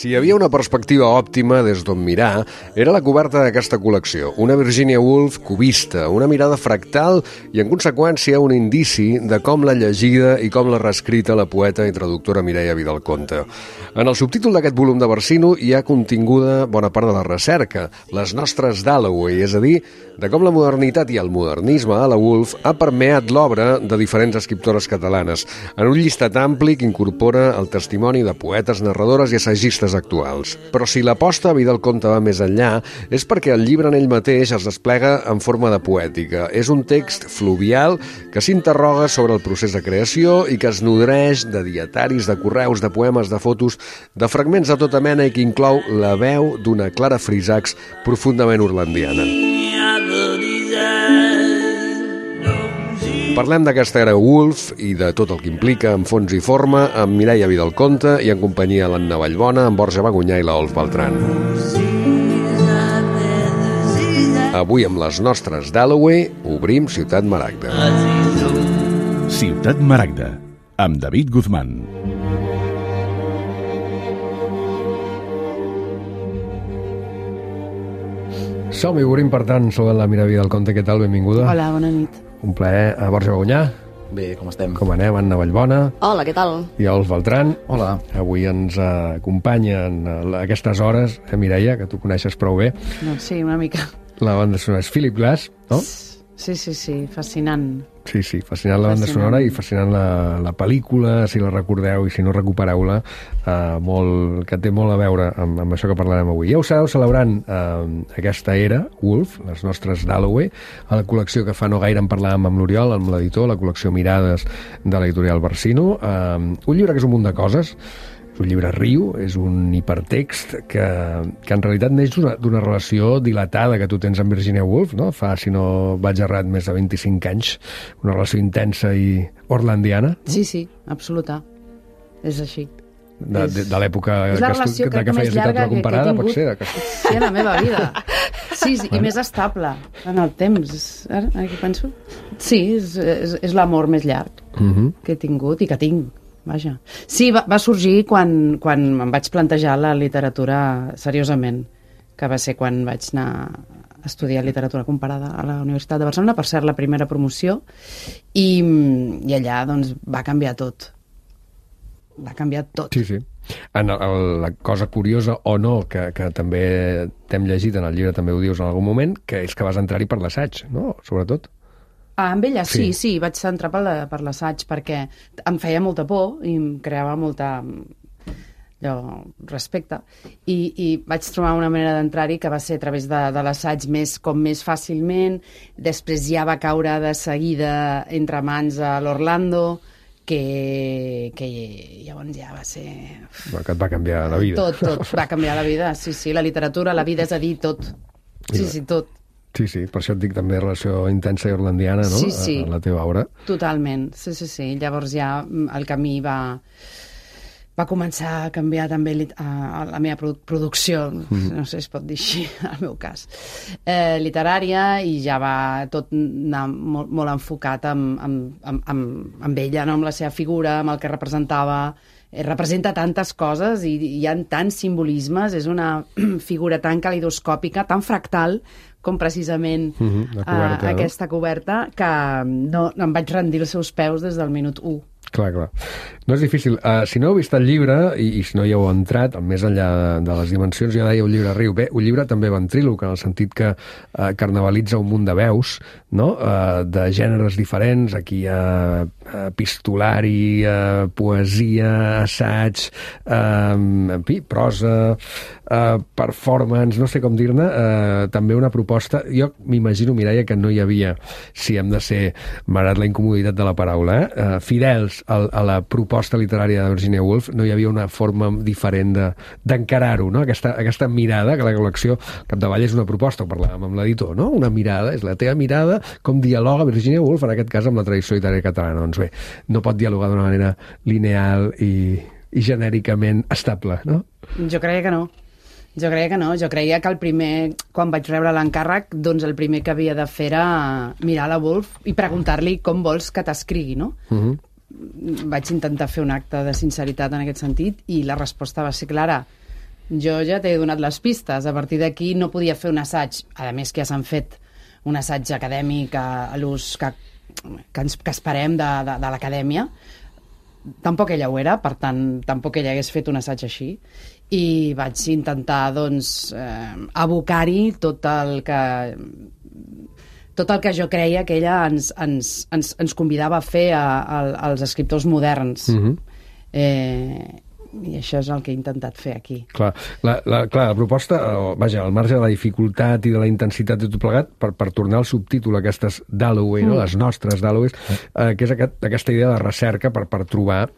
Si hi havia una perspectiva òptima des d'on mirar, era la coberta d'aquesta col·lecció. Una Virginia Woolf cubista, una mirada fractal i, en conseqüència, un indici de com l'ha llegida i com l'ha reescrita la poeta i traductora Mireia Vidal-Conte. En el subtítol d'aquest volum de Versino hi ha continguda bona part de la recerca, les nostres Dalloway, és a dir, de com la modernitat i el modernisme a la Woolf ha permeat l'obra de diferents escriptores catalanes, en un llistat ampli que incorpora el testimoni de poetes, narradores i assagistes actuals. Però si l'aposta a Vidal-Conte va més enllà, és perquè el llibre en ell mateix es desplega en forma de poètica. És un text fluvial que s'interroga sobre el procés de creació i que es nodreix de dietaris, de correus, de poemes, de fotos, de fragments de tota mena i que inclou la veu d'una Clara Frisacs profundament orlandiana. Parlem d'aquesta era Woolf i de tot el que implica en fons i forma amb Mireia Vidal-Conte i en companyia l'Anna Vallbona, en Borja Bagunyà i l'Olf Beltran. Avui amb les nostres Dalloway obrim Ciutat Maragda. Ciutat Maragda, amb David Guzmán. Som-hi, obrim per tant sobre la Mireia Vidal-Conte. Què tal? Benvinguda. Hola, bona nit. Un plaer. Borja Bagunyà. Bé, com estem? Com anem? Anna Vallbona. Hola, què tal? I Olf Beltran. Hola. Avui ens acompanyen a aquestes hores, Mireia, que tu coneixes prou bé. Doncs sí, una mica. La banda sonora és Philip Glass, no? Sí, fascinant. Sí, fascinant la banda sonora i fascinant la pel·lícula, si la recordeu i si no recupereu-la, que té molt a veure amb això que parlarem avui. Ja ho sabeu, celebrant aquesta era, Woolf, les nostres Dalloway, a la col·lecció que fa no gaire en parlàvem amb l'Oriol, amb l'editor, la col·lecció Mirades de l'editorial Versino. Un llibre que és un munt de coses. És un llibre riu, és un hipertext que en realitat neix d'una relació dilatada que tu tens amb Virginia Woolf, no? Fa, si no vaig errat, més de 25 anys, una relació intensa i orlandiana. Sí, absoluta. És així. De l'època és la relació que feies literatura comparada, pot ser? Sí, a la meva vida. Sí, i més estable en el temps. Ara que penso? Sí, és l'amor més llarg que he tingut i que tinc. Vaja. Sí, va sorgir quan em vaig plantejar la literatura seriosament, que va ser quan vaig anar a estudiar literatura comparada a la Universitat de Barcelona, per ser la primera promoció, i allà doncs, va canviar tot. Va canviar tot. Sí. La cosa curiosa o no, que també t'hem llegit en el llibre, també ho dius en algun moment, que és que vas entrar-hi per l'assaig, no? Sobretot. Amb ella sí, vaig entrar per l'assaig perquè em feia molta por i em creava molta respecte i vaig trobar una manera d'entrar-hi que va ser a través de l'assaig més fàcilment. Després ja va caure de seguida entre mans a l'Orlando, que llavors ja va ser... Que et va canviar la vida. Tot va canviar la vida, sí, la literatura, la vida, és a dir, tot. Sí, tot. Sí, per això et dic també relació intensa i orlandiana, no? Sí. A la teva obra. Totalment, sí. Llavors ja el camí va començar a canviar també la meva producció, no sé si es pot dir així, en el meu cas, literària, i ja va tot anar molt enfocat amb ella, no? Amb la seva figura, amb el que representava. Representa tantes coses i hi ha tants simbolismes, és una figura tan calidoscòpica, tan fractal com precisament aquesta coberta, que no em vaig rendir els seus peus des del minut 1. Clar. No és difícil. Si no heu vist el llibre, i si no hi heu entrat, més enllà de les dimensions, ja deia un llibre riu. Bé, un llibre també ventríloc, en el sentit que carnavalitza un munt de veus, no? De gèneres diferents. Aquí hi ha epistolari, poesia, assaig, en fi, prosa, performance, no sé com dir-ne, també una proposta. Jo m'imagino, Mireia, que no hi havia, si hem de ser, malgrat la incomoditat de la paraula, fidels a la proposta literària de Virginia Woolf, no hi havia una forma diferent d'encarar-ho, no? Aquesta mirada, que la col·lecció capdavall és una proposta, ho parlàvem amb l'editor, no? Una mirada, és la teva mirada, com dialoga Virginia Woolf, en aquest cas amb la tradició literària catalana. Doncs bé, no pot dialogar d'una manera lineal i genèricament estable, no? Jo creia que no. Jo creia que el primer, quan vaig rebre l'encàrrec, doncs el primer que havia de fer era mirar la Woolf i preguntar-li com vols que t'escrigui, no? Vaig intentar fer un acte de sinceritat en aquest sentit i la resposta va ser clara. Jo ja t'he donat les pistes. A partir d'aquí no podia fer un assaig, a més que ja s'han fet un assaig acadèmic a l'ús que esperem de l'acadèmia. Tampoc ella ho era, per tant, tampoc ella hagués fet un assaig així. I vaig intentar, doncs, abocar-hi tot el que jo creia que ella ens convidava a fer als escriptors moderns. I això és el que he intentat fer aquí. Clar, la proposta, vaja, al marge de la dificultat i de la intensitat de tot plegat, per tornar al subtítol aquestes Dalloway, no? Les nostres Dalloway, que és aquesta idea de recerca per trobar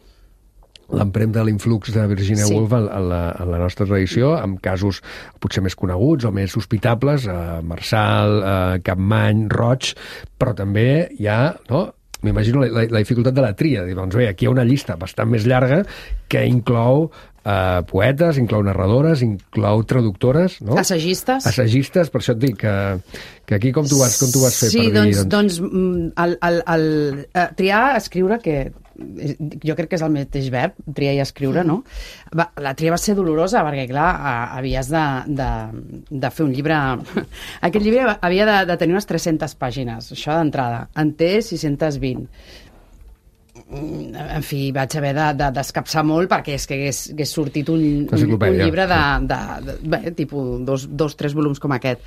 l'empremta de l'influx de Virginia Woolf en la nostra tradició, amb casos potser més coneguts o més sospitables, Marçal, Capmany, Roig, però també hi ha, no?, m'imagino la dificultat de la tria. Doncs bé, aquí hi ha una llista bastant més llarga que inclou poetes, inclou narradores, inclou traductores, no? Assagistes, per això et dic que aquí com tu vas fer per dir... Sí, doncs triar, escriure, que jo crec que és el mateix verb, triar i escriure, no? La tria va ser dolorosa perquè, clar, havies de fer un llibre... Aquest llibre havia de tenir unes 300 pàgines, això d'entrada. En té 620. En fi, vaig haver d'escapçar molt perquè és que hagués sortit un llibre de tipus 2-3 volums com aquest.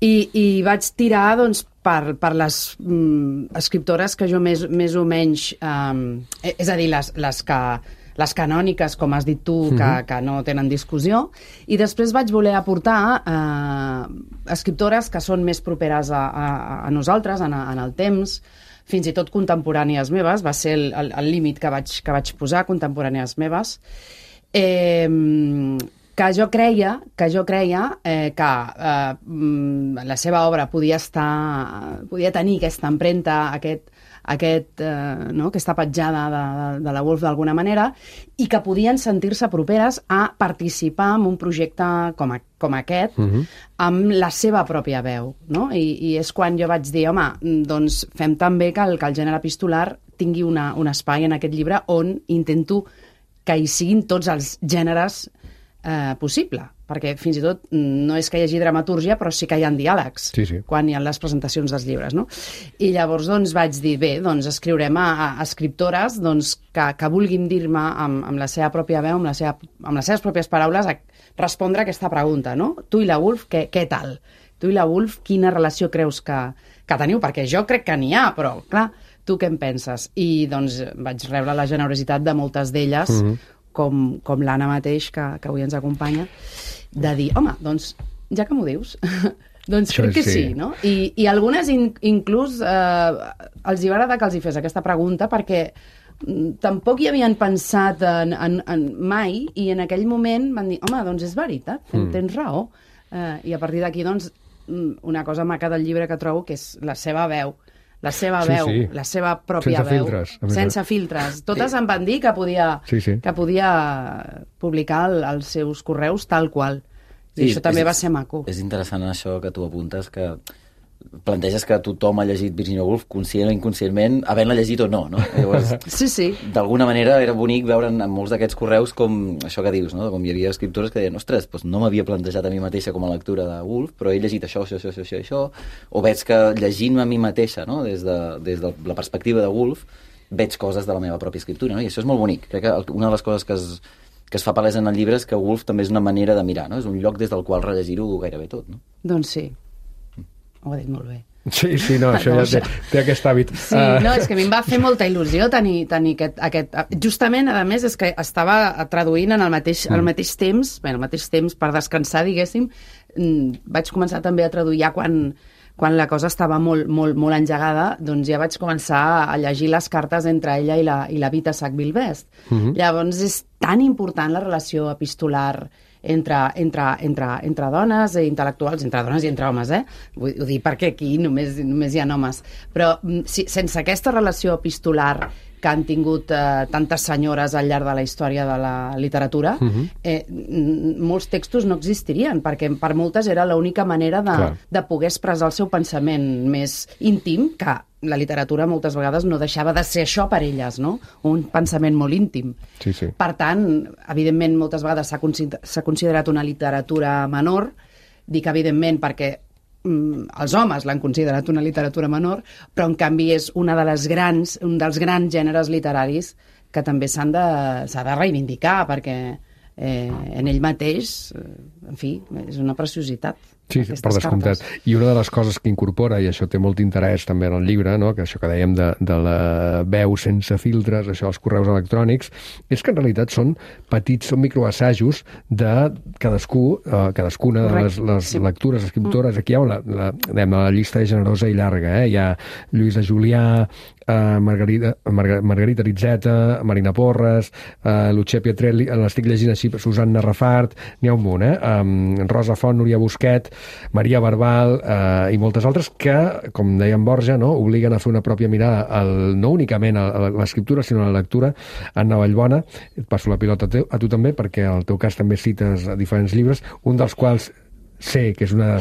I vaig tirar, doncs, per les escriptores que jo més o menys... és a dir, les canòniques, com has dit tu, que no tenen discussió, i després vaig voler aportar escriptores que són més properes a nosaltres, en el temps, fins i tot contemporànies meves, va ser el límit que vaig posar, contemporànies meves, que jo creia que la seva obra podia tenir aquesta empremta, aquesta petjada de la Woolf d'alguna manera, i que podien sentir-se properes a participar en un projecte com aquest, amb la seva pròpia veu, no? I és quan jo vaig dir, home, doncs fem també que el gènere epistolar tingui un espai en aquest llibre on intento que hi siguin tots els gèneres possible, perquè fins i tot no és que hi hagi dramatúrgia, però sí que hi ha diàlegs quan hi ha les presentacions dels llibres, no? I llavors doncs vaig dir, bé, doncs escriurem a escriptores que vulguin dir-me amb la seva pròpia veu, amb les seves pròpies paraules, a respondre a aquesta pregunta, no? Tu i la Woolf, què tal? Tu i la Woolf, quina relació creus que teniu? Perquè jo crec que n'hi ha, però, clar, tu què en penses? I doncs vaig rebre la generositat de moltes d'elles, com l'Anna mateix, que avui ens acompanya, de dir, home, doncs, ja que m'ho dius, doncs crec que sí, no? I algunes inclús els hi va agradar que els hi fes aquesta pregunta, perquè tampoc hi havien pensat en mai, i en aquell moment van dir, home, doncs és veritat, tens raó. I a partir d'aquí, doncs, una cosa maca del llibre que trobo que és la seva veu, la seva pròpia veu, sense filtres. Totes em van dir que podia publicar els seus correus tal qual. I això també va ser maco. És interessant això que tu apuntes, que planteges que tothom ha llegit Virginia Woolf, conscient o inconscientment, havent-la llegit o no, no? Llavors, d'alguna manera era bonic veure en molts d'aquests correus com això que dius, no? Com hi havia escriptores que deien, ostres, doncs no m'havia plantejat a mi mateixa com a lectura de Woolf, però he llegit això, o veig que llegint-me a mi mateixa, no? Des de la perspectiva de Woolf, veig coses de la meva pròpia escriptura, no? I això és molt bonic. Crec que una de les coses que es fa palès en el llibre és que Woolf també és una manera de mirar, no? És un lloc des del qual rellegir-ho gairebé tot, no? Doncs sí. Ho ha dit molt bé. Sí, no, això ja té aquest hàbit. Sí, no, és que a mi em va fer molta il·lusió tenir aquest... Justament, a més, és que estava traduint en el mateix temps, per descansar, diguéssim, vaig començar també a traduir ja quan la cosa estava molt engegada, doncs ja vaig començar a llegir les cartes entre ella i la Vita Sackville-Best. Llavors és tan important la relació epistolar entre dones i intel·lectuals, entre dones i entre homes, Vull dir, perquè aquí només hi ha homes. Però sense aquesta relació epistolar que han tingut tantes senyores al llarg de la història de la literatura, molts textos no existirien, perquè per moltes era l'única manera de poder expressar el seu pensament més íntim, que la literatura moltes vegades no deixava de ser això per elles, no? Un pensament molt íntim. Sí, sí. Per tant, evidentment, moltes vegades s'ha considerat una literatura menor, dic evidentment perquè els homes l'han considerat una literatura menor, però en canvi és un dels grans gèneres literaris que també s'ha de reivindicar, perquè en ell mateix, en fi, és una preciositat. Sí, per descomptat. I una de les coses que incorpora, i això té molt interès també en el llibre, no? Que això que dèiem de la veu sense filtres, això dels correus electrònics, és que en realitat són microassajos de cadascuna de les lectures, escriptores. Aquí hi ha la llista és generosa i llarga. Hi ha Lluïsa Julià, Margarita Rizzeta, Marina Porres, Lucia Pietrelli, l'estic llegint així, Susanna Rafart, n'hi ha un munt, Rosa Font, Núria Busquet, Maria Barbal i moltes altres que, com deia en Borja, no, obliguen a fer una pròpia mirada no únicament a l'escriptura, sinó a la lectura. Anna Vallbona, et passo la pilota a tu també, perquè al teu cas també cites diferents llibres, un dels quals sé que és una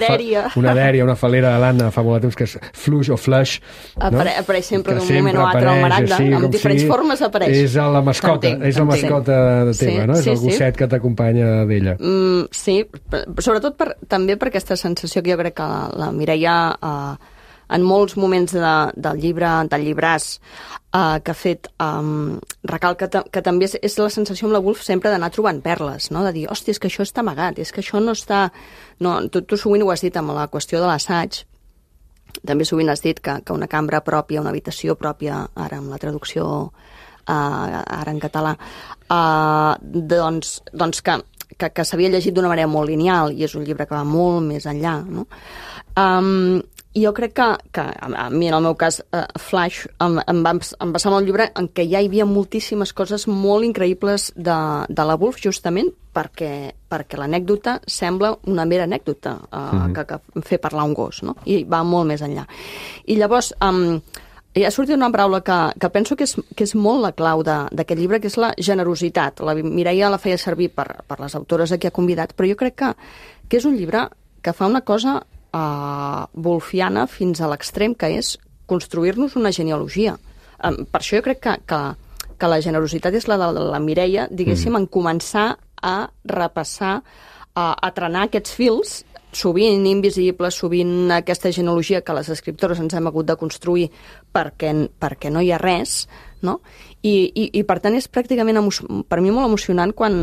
dèria, una falera de l'Anna fa molt de temps, que és Fluix o Flush, no? Apareix sempre d'un moment o altre al Maragda, amb diferents formes apareix. És la mascota, de teva, no? És el gosset que t'acompanya d'ella. Sí, sobretot també per aquesta sensació que jo crec que la Mireia en molts moments del llibràs que ha fet, recalca que també és la sensació amb la Woolf sempre d'anar trobant perles, no? De dir, hòstia, és que això està amagat, és que això no està... No, tu sovint ho has dit amb la qüestió de l'assaig, també sovint has dit que una cambra pròpia, una habitació pròpia, ara amb la traducció ara en català, doncs que s'havia llegit d'una manera molt lineal, i és un llibre que va molt més enllà, no? I jo crec que a mi, en el meu cas, Flash, em va passar amb el llibre en què ja hi havia moltíssimes coses molt increïbles de la Woolf, justament perquè l'anècdota sembla una mera anècdota que fer parlar un gos, no? I va molt més enllà. I llavors, hi ha sortit una paraula que penso que és molt la clau d'aquest llibre, que és la generositat. La Mireia la feia servir per les autores a qui ha convidat, però jo crec que és un llibre que fa una cosa wolfiana fins a l'extrem, que és construir-nos una genealogia. Per això jo crec que la generositat és la de la Mireia, diguéssim, en començar a repassar, a trenar aquests fils, sovint invisibles, sovint aquesta genealogia que les escriptores ens hem hagut de construir perquè no hi ha res, no? I per tant és pràcticament per mi molt emocionant quan,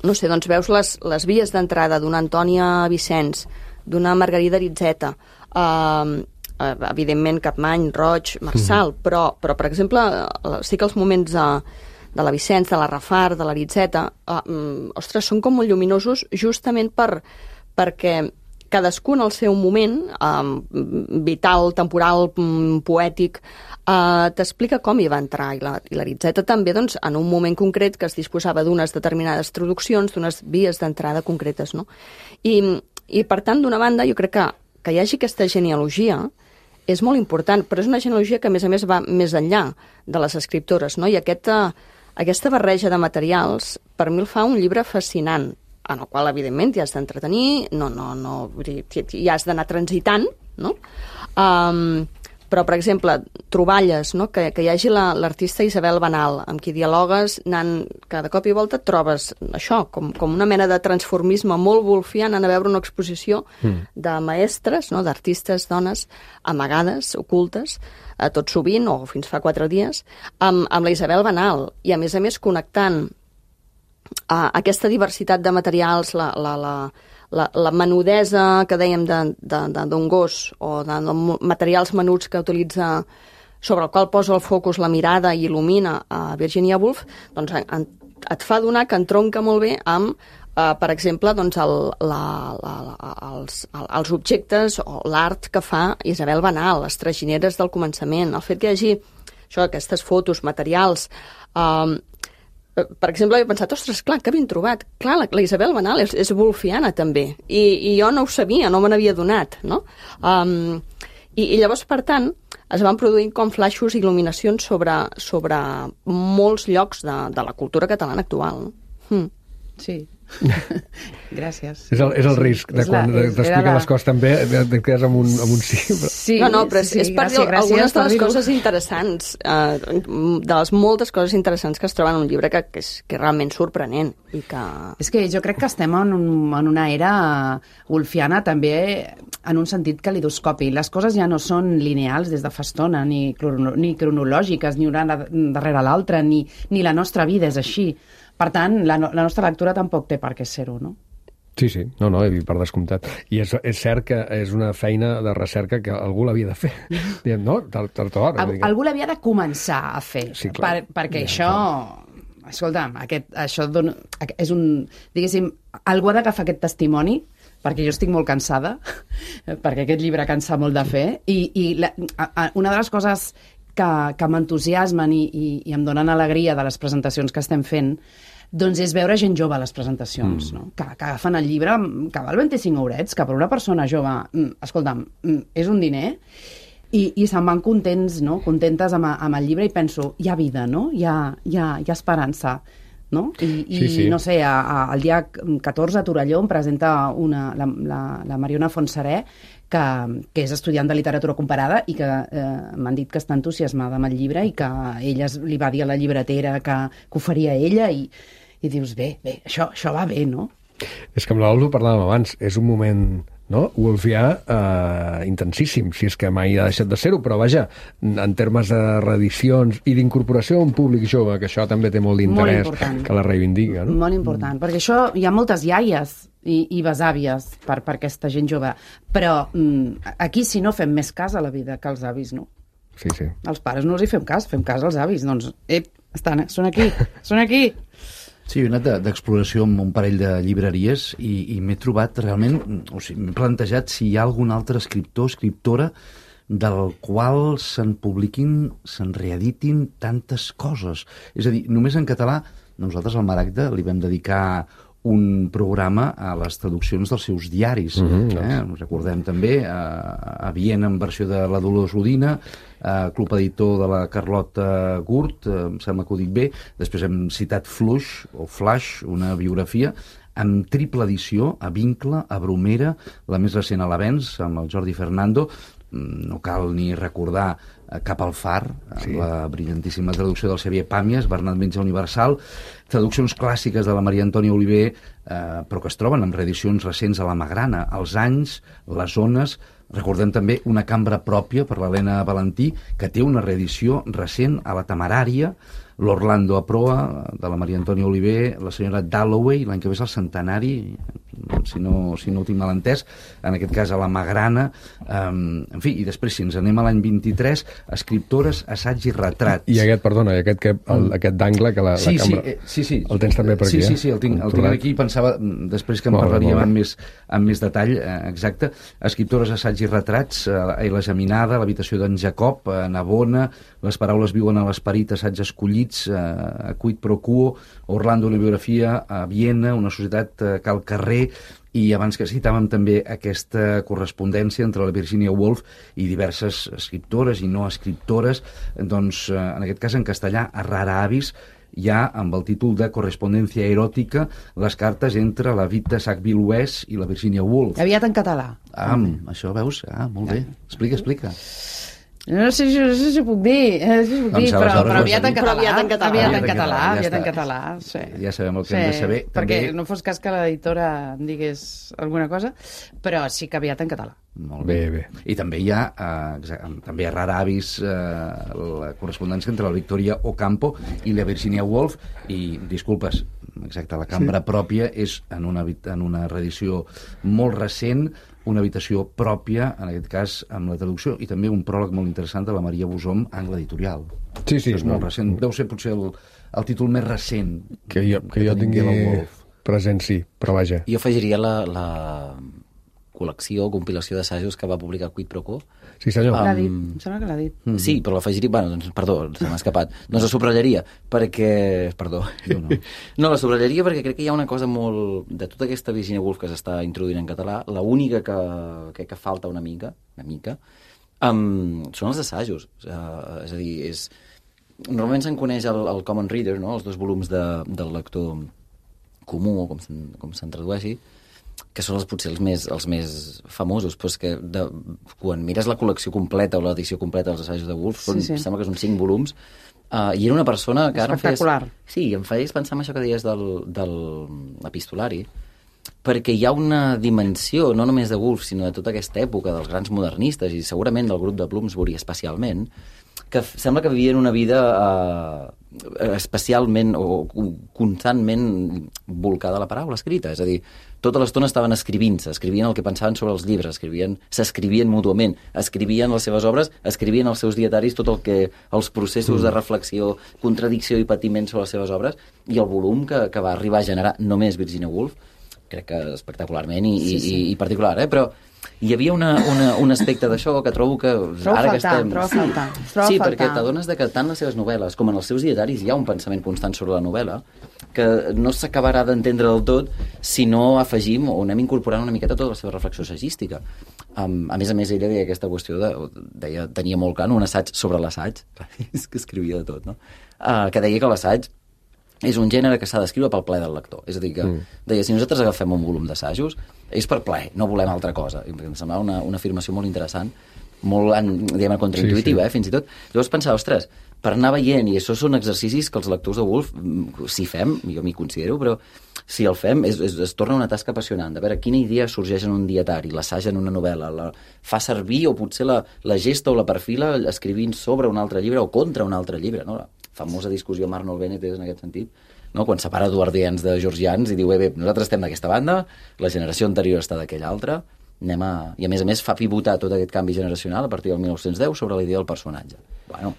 no sé, doncs veus les vies d'entrada d'una Antònia Vicenç, d'una Margarida Rizzeta, evidentment Capmany, Roig, Marçal, però per exemple, sí que els moments de la Vicenç, de la Rafart, de la Rizzeta, ostres, són com molt lluminosos justament perquè cadascun al seu moment, vital, temporal, poètic, t'explica com hi va entrar. I la Rizzeta també, doncs, en un moment concret que es disposava d'unes determinades traduccions, d'unes vies d'entrada concretes, no? I per tant, d'una banda, jo crec que hi hagi aquesta genealogia és molt important, però és una genealogia que, a més, va més enllà de les escriptores, no? I aquesta barreja de materials, per mi el fa un llibre fascinant, en el qual, evidentment, t'hi has d'entretenir, hi has d'anar transitant, no? Però, per exemple, troballes, no? Que hi hagi l'artista Isabel Banal, amb qui dialogues, cada cop i volta et trobes això, com una mena de transformisme molt wolfià, anant a veure una exposició de maestres, no? D'artistes, dones, amagades, ocultes, tot sovint, o fins fa 4 dies, amb la Isabel Banal, i a més connectant aquesta diversitat de materials, la menudesa que dèiem d'un gos o de materials menuts que utilitza, sobre el qual posa el focus la mirada i il·lumina a Virginia Woolf, doncs et fa donar que entronca molt bé amb, per exemple, doncs els objectes o l'art que fa Isabel Banal, les tragineres del començament, el fet que hi hagi aquestes fotos, materials... Per exemple, he pensat, ostres, clar, que ben trobat. Clar, la Isabel Banal és wolfiana, també. I jo no ho sabia, no me n'havia donat, no? I llavors, per tant, es van produint com flaixos i il·luminacions sobre molts llocs de la cultura catalana actual. Sí. Gràcies. És el risc de quan t'expliquen les coses també et quedes amb un sí. Sí, no, però és per dir algunes de les coses interessants, de les moltes coses interessants que es troben en un llibre que és realment sorprenent. I que... És que jo crec que estem en una era wolfiana també en un sentit calidoscopi. Les coses ja no són lineals des de fa estona, ni cronològiques, ni una darrere l'altra, ni la nostra vida és així. Per tant, la nostra lectura tampoc té per què ser-ho, no? Sí, no, per descomptat. I és cert que és una feina de recerca que algú l'havia de fer. Diem, no? Algú l'havia de començar a fer. Sí, perquè això... Escolta'm, això és un... Diguéssim, algú ha d'agafar aquest testimoni, perquè jo estic molt cansada, perquè aquest llibre cansa molt de fer, i una de les coses que m'entusiasmen i em donen alegria de les presentacions que estem fent, doncs és veure gent jove a les presentacions, no? Que agafen el llibre, que val 25 eurets, que per una persona jove, escolta'm, és un diner, i se'n van contents, no? Contentes amb el llibre, i penso, hi ha vida, no? Hi ha esperança, no? I no sé, el dia 14 a Torelló em presenta la Mariona Fontserè, que és estudiant de literatura comparada i que m'han dit que està entusiasmada amb el llibre i que ella li va dir a la llibretera que ho faria ella, i dius, bé, això va bé, no? És que amb l'Aldo parlàvem abans, és un moment, no?, wolfià intensíssim, si és que mai ha deixat de ser-ho, però vaja, en termes de reedicions i d'incorporació a un públic jove, que això també té molt d'interès, que la reivindica, no? Molt important, perquè això hi ha moltes iaies i besàvies per aquesta gent jove, però aquí si no fem més cas a la vida que els avis, no? Sí. Els pares no els hi fem cas als avis, doncs, són aquí. Sí, he anat d'exploració amb un parell de llibreries i m'he trobat realment, m'he plantejat si hi ha algun altre escriptor o escriptora del qual se'n publiquin, se'n reeditin tantes coses. És a dir, només en català, nosaltres al Maragda li vam dedicar un programa a les traduccions dels seus diaris. Recordem també a Viena en versió de la Dolors Udina, Club Editor de la Carlota Gurt, em sembla que ho dic bé. Després hem citat Flash, una biografia amb triple edició, a Vincle, a Bromera, la més recent a l'Avenç, amb el Jordi Fernando. No cal ni recordar Cap al far, la brillantíssima traducció del Xavier Pàmies, Bernat Metge Universal, traduccions clàssiques de la Maria Antònia Oliver, però que es troben en reedicions recents a la Magrana, Els anys, Les zones. Recordem també Una cambra pròpia per l'Helena Valentí, que té una reedició recent a la Temerària, l'Orlando a proa de la Maria Antònia Oliver, la senyora Dalloway, l'any que ve és el centenari, si no ho tinc mal entès, en aquest cas a la Magrana, en fi, i després si ens anem a l'any 23, escriptores, assaig i retrat. I aquest d'angle que la cambra... Sí. El tens també per aquí, Sí, el tinc aquí, pensava després que en parlaríem amb més detall, exacte. Escriptores, assaig i retrats, La geminada, l'habitació d'en Jacob, Navona, Les paraules viuen a l'esperit, assaig escollits, a Quid pro quo, Orlando, una biografia, a Viena, una societat que al carrer, i abans que citàvem també aquesta correspondència entre la Virginia Woolf i diverses escriptores i no escriptores, doncs en aquest cas en castellà, a Rara Avis, hi ha amb el títol de Correspondència eròtica les cartes entre la Vita Sackville-West i la Virginia Woolf. Aviat en català. Això veus? Molt bé. Explica. No sé si ho puc dir, però aviat en català. Sí. Ja sabem el que hem de saber. Perquè no fos cas que l'editora em digués alguna cosa, però sí que aviat en català. Molt bé. I també hi ha també a Rara Avis la correspondència entre la Victoria Ocampo i la Virginia Woolf, i disculpes, exacte, la cambra pròpia és en una reedició molt recent, una habitació pròpia, en aquest cas amb la traducció, i també un pròleg molt interessant de la Maria Bosom, Angle Editorial. Sí. És molt recent, deu ser potser el títol més recent que jo tingui present, sí, però vaja. Jo afegiria la col·lecció o compilació d'assajos que va publicar Quid pro quo. Sí, senyor. L'ha dit, em sembla que l'ha dit. Sí, però l'afegiria... Perdó, se m'ha escapat. Doncs la subratllaria, perquè... Perdó. No, la subratllaria perquè crec que hi ha una cosa molt... De tota aquesta Virginia Woolf que s'està introduint en català, l'única que falta una mica, són els assajos. És a dir, normalment se'n coneix el Common Reader, no? Els 2 volums del lector comú, o com se'n tradueixi, que són potser els més famosos, però és que quan mires la col·lecció completa o l'edició completa dels assajos de Woolf, sembla que són 5 volums, i era una persona que ara espectacular. Em feies pensar en això que deies de l'epistolari, perquè hi ha una dimensió, no només de Woolf, sinó de tota aquesta època dels grans modernistes, i segurament del grup de Bloomsbury especialment, que sembla que vivien una vida especialment o constantment volcada a la paraula escrita. És a dir, tota l'estona estaven escrivint-se, escrivien el que pensaven sobre els llibres, s'escrivien mútuament, escrivien les seves obres, escrivien els seus dietaris, tot el que els processos de reflexió, contradicció i patiment sobre les seves obres, i el volum que va arribar a generar només Virginia Woolf, crec que espectacularment i particular, però hi havia un aspecte d'això que trobo que... Trobo a faltar. Sí, perquè t'adones que tant les seves novel·les com en els seus dietaris hi ha un pensament constant sobre la novel·la que no s'acabarà d'entendre del tot si no afegim o anem incorporant una miqueta tota la seva reflexió assagística. A més, ella deia aquesta qüestió tenia molt clar, un assaig sobre l'assaig, és que escrivia de tot, no? Que deia que l'assaig és un gènere que s'ha d'escriure pel plaer del lector. És a dir, que deia, si nosaltres agafem un volum d'assajos, és per plaer, no volem altra cosa. I em semblava una afirmació molt interessant, molt, diguem, contraintuitiva, fins i tot. Llavors pensava, ostres, per anar veient, i això són exercicis que els lectors de Woolf, si fem, jo m'hi considero, però si el fem, es torna una tasca apassionant, de veure quina idea sorgeix en un dietari, l'assaig en una novel·la, la fa servir o potser la gesta o la perfila escrivint sobre un altre llibre o contra un altre llibre, no? La famosa discussió amb Arnold Bennett és en aquest sentit, no? Quan separa eduardians de georgians i diu, bé, nosaltres estem d'aquesta banda, la generació anterior està d'aquella altra, i a més fa pivotar tot aquest canvi generacional a partir del 1910 sobre la idea del personatge. Bueno,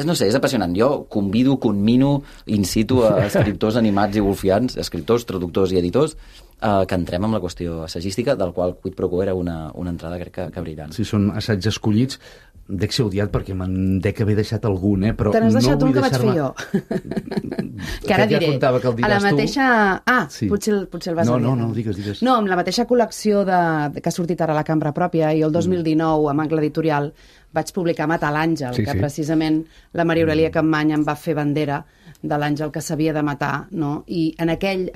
no sé, és apassionant. Jo conmino in situ a escriptors animats i wolfians, escriptors, traductors i editors, que entrem amb la qüestió assagística, del qual Quid Pro Quo era una entrada, crec que brillant. Sí, són assaigs escollits. Dec ser odiat perquè me'n dec haver deixat algun, però te n'has deixat un que vaig fer jo. Que ara diré. A la mateixa... Sí. Potser el vas dir. No, digues. No, amb la mateixa col·lecció que ha sortit ara a la cambra pròpia, i el 2019, amb Angle Editorial, vaig publicar Matar l'àngel, que precisament la Maria Aurelia Capmany em va fer bandera de l'àngel que s'havia de matar, no? I en aquell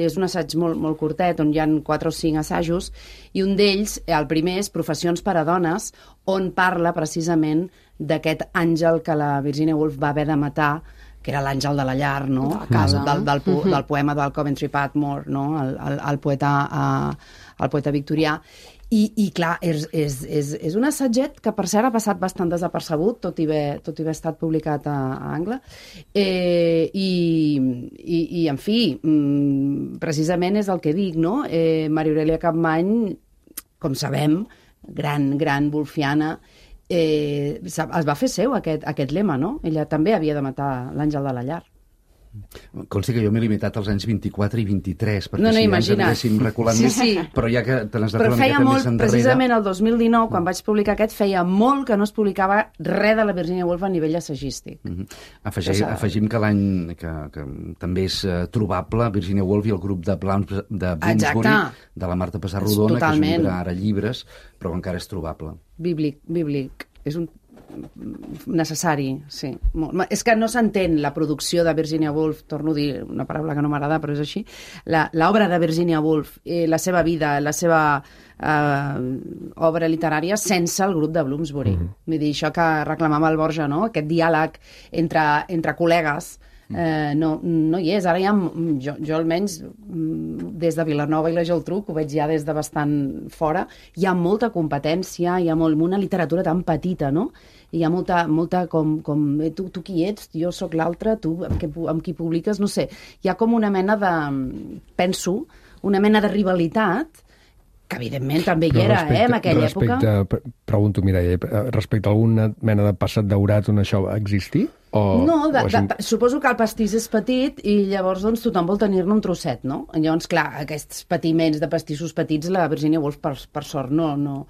és un assaig molt, molt curtet, on hi ha 4 o 5 assajos, i un d'ells, el primer, és Professions per a dones, on parla precisament d'aquest àngel que la Virginia Woolf va haver de matar, que era l'àngel de la llar, no? A casa del poema del Coventry Patmore, no? El poeta victorià. I clar, és un assatget que per cert ha passat bastant desapercebut, tot i haver estat publicat a Angle, i en fi, precisament és el que dic, no? Maria Aurelia Capmany, com sabem, gran wolfiana, es va fer seu aquest lema, no? Ella també havia de matar l'àngel de la llar. Consti que jo m'he limitat als anys 24 i 23, perquè si ens anéssim reculant més, però ja que te n'has de però feia molt, precisament el 2019, quan vaig publicar aquest, feia molt que no es publicava res de la Virginia Woolf a nivell assagístic. Afegim que l'any que també és trobable Virginia Woolf i el grup de Bloomsbury, de la Marta Pessarrodona, que és un llibre ara llibres, però encara és trobable. Bíblic. És un necessari, sí. És que no s'entén la producció de Virginia Woolf, torno a dir una paraula que no m'agrada, però és així, l'obra de Virginia Woolf, la seva vida, la seva obra literària sense el grup de Bloomsbury. Vull dir, això que reclamava el Borja, no? Aquest diàleg entre col·legues, no hi és. Ara jo almenys des de Vilanova i la Geltrú, que ho veig ja des de bastant fora, hi ha molta competència, hi ha una literatura tan petita, no? Hi ha molta com tu qui ets, jo sóc l'altre, tu amb qui publiques, no sé. Hi ha com una mena de, penso, una mena de rivalitat que evidentment també hi era, en aquella època. Pregunto, Mireia, respecte a alguna mena de passat daurat on això va existir? No, suposo que el pastís és petit i llavors doncs, tothom vol tenir-ne un trosset, no? Llavors, clar, aquests patiments de pastissos petits, la Virginia Woolf, per sort, no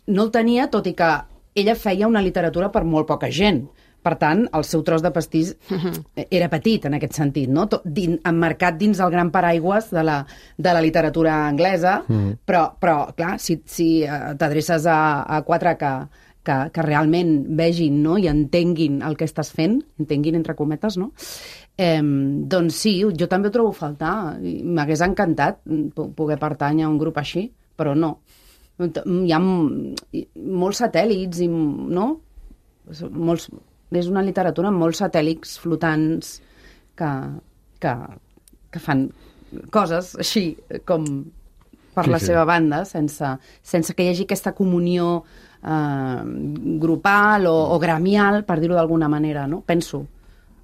el tenia, tot i que ella feia una literatura per molt poca gent, Per tant, el seu tros de pastís era petit en aquest sentit, no? Emmarcat dins el gran paraigües de la literatura anglesa, però clar, si t'adreces a quatre que realment vegin, no? I entenguin el que estàs fent, entenguin entre cometes, no? Doncs sí, jo també ho trobo a faltar. M'hagués encantat poder pertànyer a un grup així, però no. Hi ha molts satèl·lits, no? És una literatura amb molts satèl·lits flotants que fan coses així com per la seva banda, sense que hi hagi aquesta comunió grupal o gremial, per dir-ho d'alguna manera, no? Penso.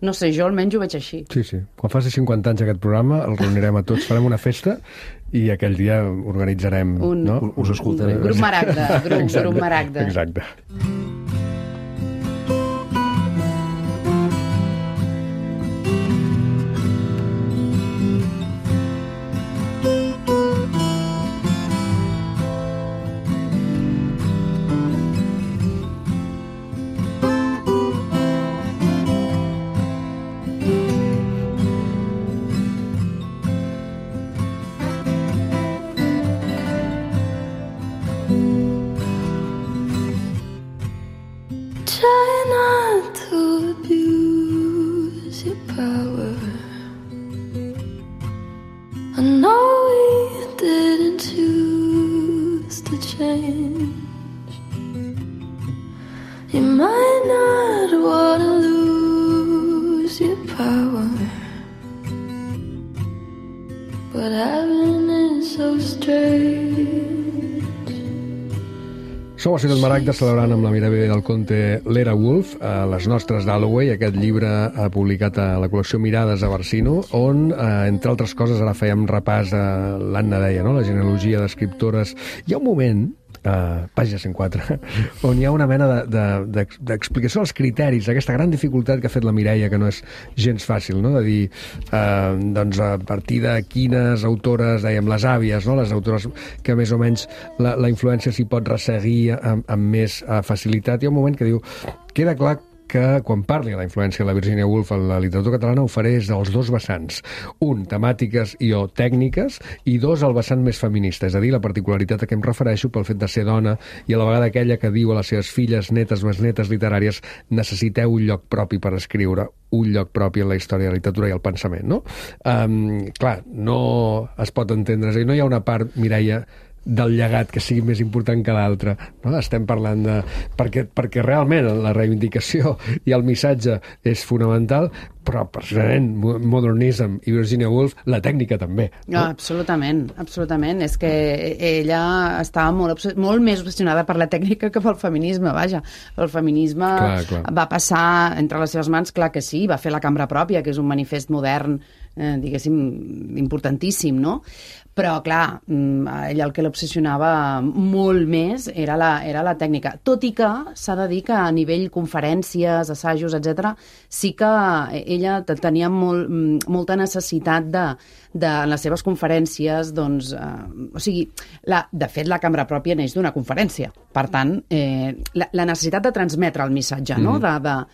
No sé, jo almenys ho veig així. Sí. Quan faci 50 anys aquest programa, el reunirem a tots, farem una festa i aquell dia organitzarem... Us escoltarem. Grup Maragda. Grup Maragda. Exacte. Som a Ciutat Maragda celebrant amb la Mireia del Conte l'Era Wolf, a les nostres d'Holloway, aquest llibre publicat a la col·lecció Mirades a Barsino, on, entre altres coses, ara fèiem repàs a l'Anna deia, no? La genealogia d'escriptores. Hi ha un moment, pàgina 104, on hi ha una mena d'explicació dels criteris, aquesta gran dificultat que ha fet la Mireia, que no és gens fàcil, no? De dir, doncs, a partir de quines autores, dèiem, les àvies, no? Les autores que més o menys la influència s'hi pot resseguir amb més facilitat. Hi ha un moment que diu, queda clar que quan parli de la influència de la Virginia Woolf en la literatura catalana ho faré des dels dos vessants. Un, temàtiques i o tècniques, i dos, el vessant més feminista, és a dir, la particularitat a què em refereixo pel fet de ser dona i a la vegada aquella que diu a les seves filles, netes, besnetes literàries, necessiteu un lloc propi per escriure, un lloc propi en la història de la literatura i el pensament, no? Clar, no es pot entendre, és a dir, no hi ha una part, Mireia, del llegat que sigui més important que l'altre, no? Estem parlant de... Perquè realment la reivindicació i el missatge és fonamental, però precisament Modernism i Virginia Woolf, la tècnica també. No? Absolutament. És que ella estava molt més obsessionada per la tècnica que pel feminisme, vaja. El feminisme clar. Va passar entre les seves mans, clar que sí, va fer la Cambra Pròpia, que és un manifest modern, diguéssim, importantíssim, no? Però, clar, ella el que l'obsessionava molt més era la tècnica. Tot i que s'ha de dir que a nivell conferències, assajos, etc., sí que ella tenia molta necessitat de en les seves conferències, doncs... o sigui, de fet, la Cambra Pròpia neix d'una conferència. Per tant, la necessitat de transmetre el missatge, no?, de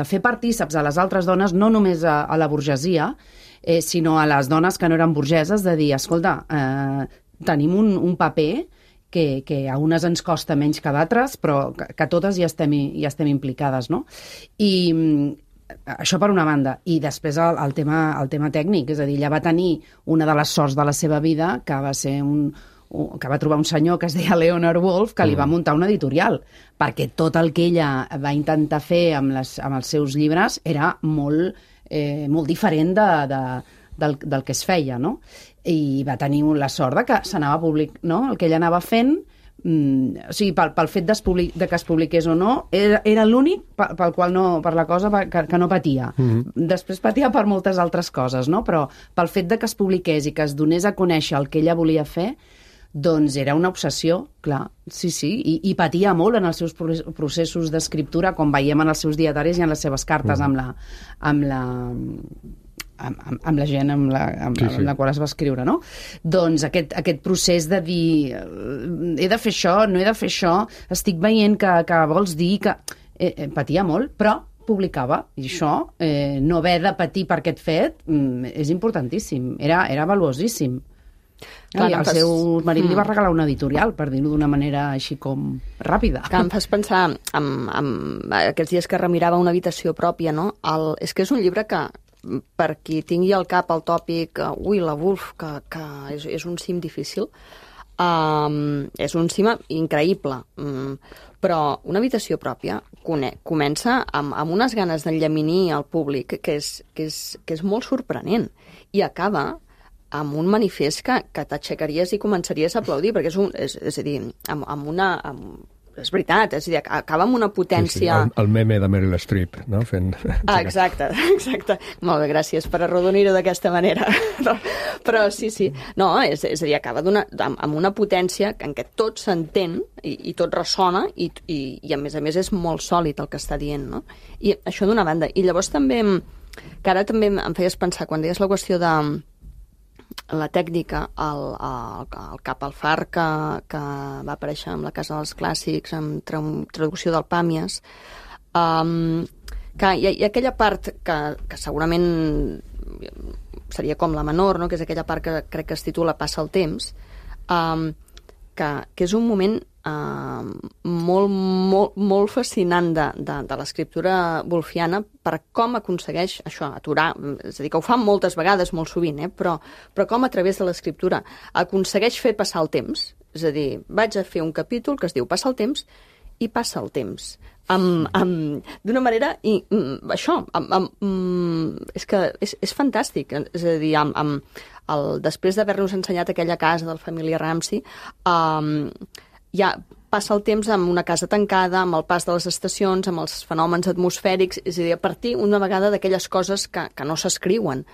fer partíceps a les altres dones, no només a la burgesia, sinó a les dones que no eren burgeses, de dir, escolta, tenim un paper que a unes ens costa menys que a d'altres, però que totes hi estem implicades, no? I això per una banda. I després el tema tècnic, és a dir, ella va tenir una de les sorts de la seva vida, que va ser que va trobar un senyor que es deia Leonard Woolf, que li va muntar una editorial, perquè tot el que ella va intentar fer amb els seus llibres era molt diferent del que es feia, no? I va tenir la sort de que s'anava públic, no? El que ella anava fent, o sigui, pel fet de que es publiqués o no, era l'únic per la cosa que no patia. Després patia per moltes altres coses, no? Però pel fet de que es publiqués i que es donés a conèixer el que ella volia fer, doncs era una obsessió, clar, sí, i patia molt en els seus processos d'escriptura, com veiem en els seus dietaris i en les seves cartes amb amb la gent amb la qual es va escriure, no? Doncs aquest procés de dir he de fer això, no he de fer això, estic veient que vols dir que... patia molt, però publicava, i això, no haver de patir per aquest fet, és importantíssim, era valuosíssim. Clar, i el seu marit li va regalar una editorial, per dir-ho d'una manera així com ràpida. Que em fas pensar en aquests dies que remirava una habitació pròpia, no? És que és un llibre que, per qui tingui al cap el tòpic la Woolf, que és un cim difícil, és un cim increïble, però una habitació pròpia comença amb unes ganes d'enllaminir al públic que és molt sorprenent, i acaba amb un manifest que t'aixecaries i començaries a aplaudir, perquè és a dir, és veritat, és a dir, acaba amb una potència... Sí, el meme de Meryl Streep, no? Exacte. Molt bé, gràcies per arrodonir-ho d'aquesta manera. Però sí. No, és a dir, acaba amb una potència en què tot s'entén i tot ressona i a més és molt sòlid el que està dient, no? I això d'una banda. I llavors també, que ara també em feies pensar, quan deies la qüestió de la tècnica, el Cap al far que va aparèixer amb la Casa dels Clàssics, amb traducció del Pàmies, que hi ha aquella part que segurament seria com la menor, no? Que és aquella part que crec que es titula Passa el temps, que és un moment molt fascinant de l'escriptura wolfiana per com aconsegueix això, aturar, és a dir, que ho fan moltes vegades, molt sovint, però com a través de l'escriptura aconsegueix fer passar el temps, és a dir, vaig a fer un capítol que es diu Passa el temps, i passa el temps d'una manera, i això és que és fantàstic, és a dir, després d'haver-nos ensenyat aquella casa del família Ramsay, ja passa el temps amb una casa tancada, amb el pas de les estacions, amb els fenòmens atmosfèrics, és a dir, a partir una vegada d'aquelles coses que no s'escriuen,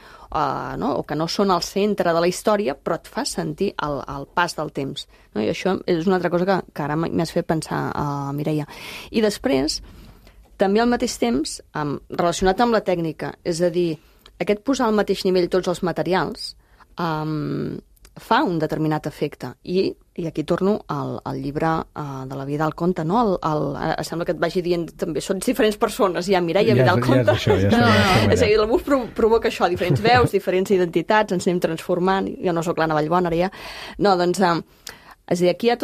no? O que no són al centre de la història, però et fa sentir el pas del temps. No? I això és una altra cosa que ara m'has fet pensar, Mireia. I després, també al mateix temps, relacionat amb la tècnica, és a dir, aquest posar al mateix nivell tots els materials, fa un determinat efecte. I aquí torno al llibre de la Vidal Conte, no? Sembla que et vagi dient també, són diferents persones, ja Mireia, Vidal Conte. És a dir, la Woolf provoca això, diferents veus, diferents identitats, ens anem transformant, jo no sóc l'Anna Vallbona, ara ja. No, doncs, és a dir, aquí hi ha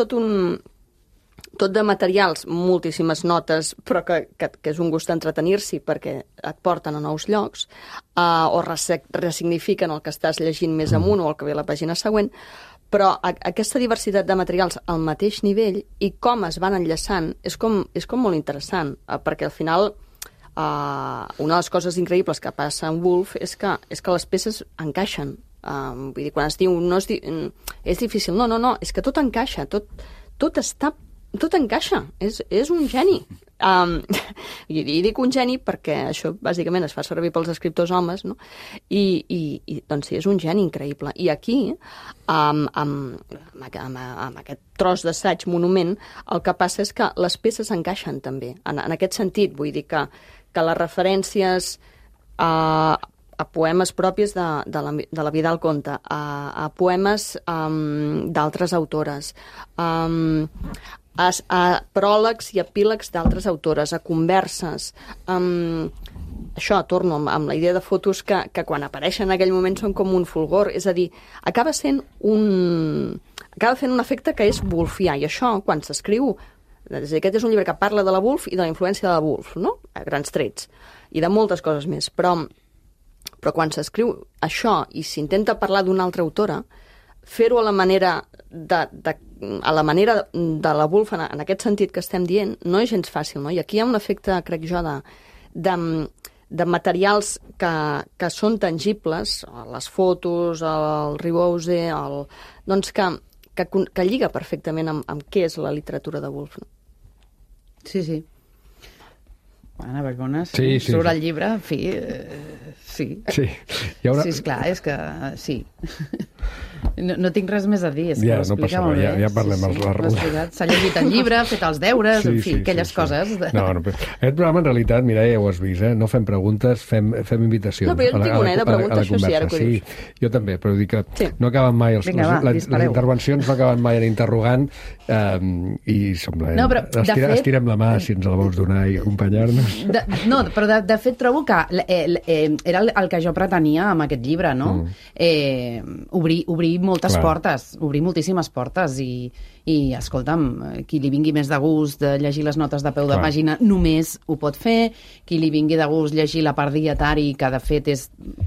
tot de materials, moltíssimes notes, però que és un gust entretenir-s'hi perquè et porten a nous llocs, o ressignifiquen el que estàs llegint més amunt o el que ve a la pàgina següent, però aquesta diversitat de materials al mateix nivell i com es van enllaçant és com molt interessant, perquè al final una de les coses increïbles que passa en Woolf és que les peces encaixen. Vull dir, quan es diu és difícil, no, és que tot encaixa, tot encaixa, és un geni. I dic un geni perquè això bàsicament es fa servir pels escriptors homes, no? I doncs sí, és un geni increïble. I aquí, amb aquest tros d'assaig monument, el que passa és que les peces encaixen també. En aquest sentit, vull dir que les referències a poemes propis de la Vidal Conte, a poemes d'altres autores, a pròlegs i epílegs d'altres autores, a converses. Això, torno amb la idea de fotos que quan apareixen en aquell moment són com un fulgor, és a dir, acaba fent un efecte que és wolfià, i això, quan s'escriu, aquest és un llibre que parla de la Woolf i de la influència de la Woolf, no? A grans trets, i de moltes coses més, però quan s'escriu això i s'intenta parlar d'una altra autora, fer-ho a la manera de la Woolf, en aquest sentit que estem dient, no és gens fàcil, no? I aquí hi ha un efecte, crec jo, de materials que són tangibles, les fotos, el ribose, doncs que lliga perfectament amb què és la literatura de Woolf. No? Sí. Anna Vallbona, sí. Sobre el llibre, en fi, sí. Sí. Sí, esclar, és que sí. No tinc res més a dir, és que Ja, ho no explica passa molt bé. res, ja parlem S'ha llegit el llibre, ha fet els deures, en fi, aquelles coses. No, aquest programa, en realitat, Mireia, ja ho has vist, no fem preguntes, fem invitacions. No, però jo en tinc una, de preguntes, això sí, ara que ho dius. Sí, jo també, però dic que no acaben mai, les intervencions no acaben mai en interrogant, i sembla... Estirem la mà si ens la vols donar i acompanyar-nos. No, però de fet trobo que era el que jo pretenia amb aquest llibre, no? Obrir moltes portes, obrir moltíssimes portes i escolta'm, qui li vingui més de gust de llegir les notes de peu de pàgina només ho pot fer, qui li vingui de gust llegir la part dietari, que de fet és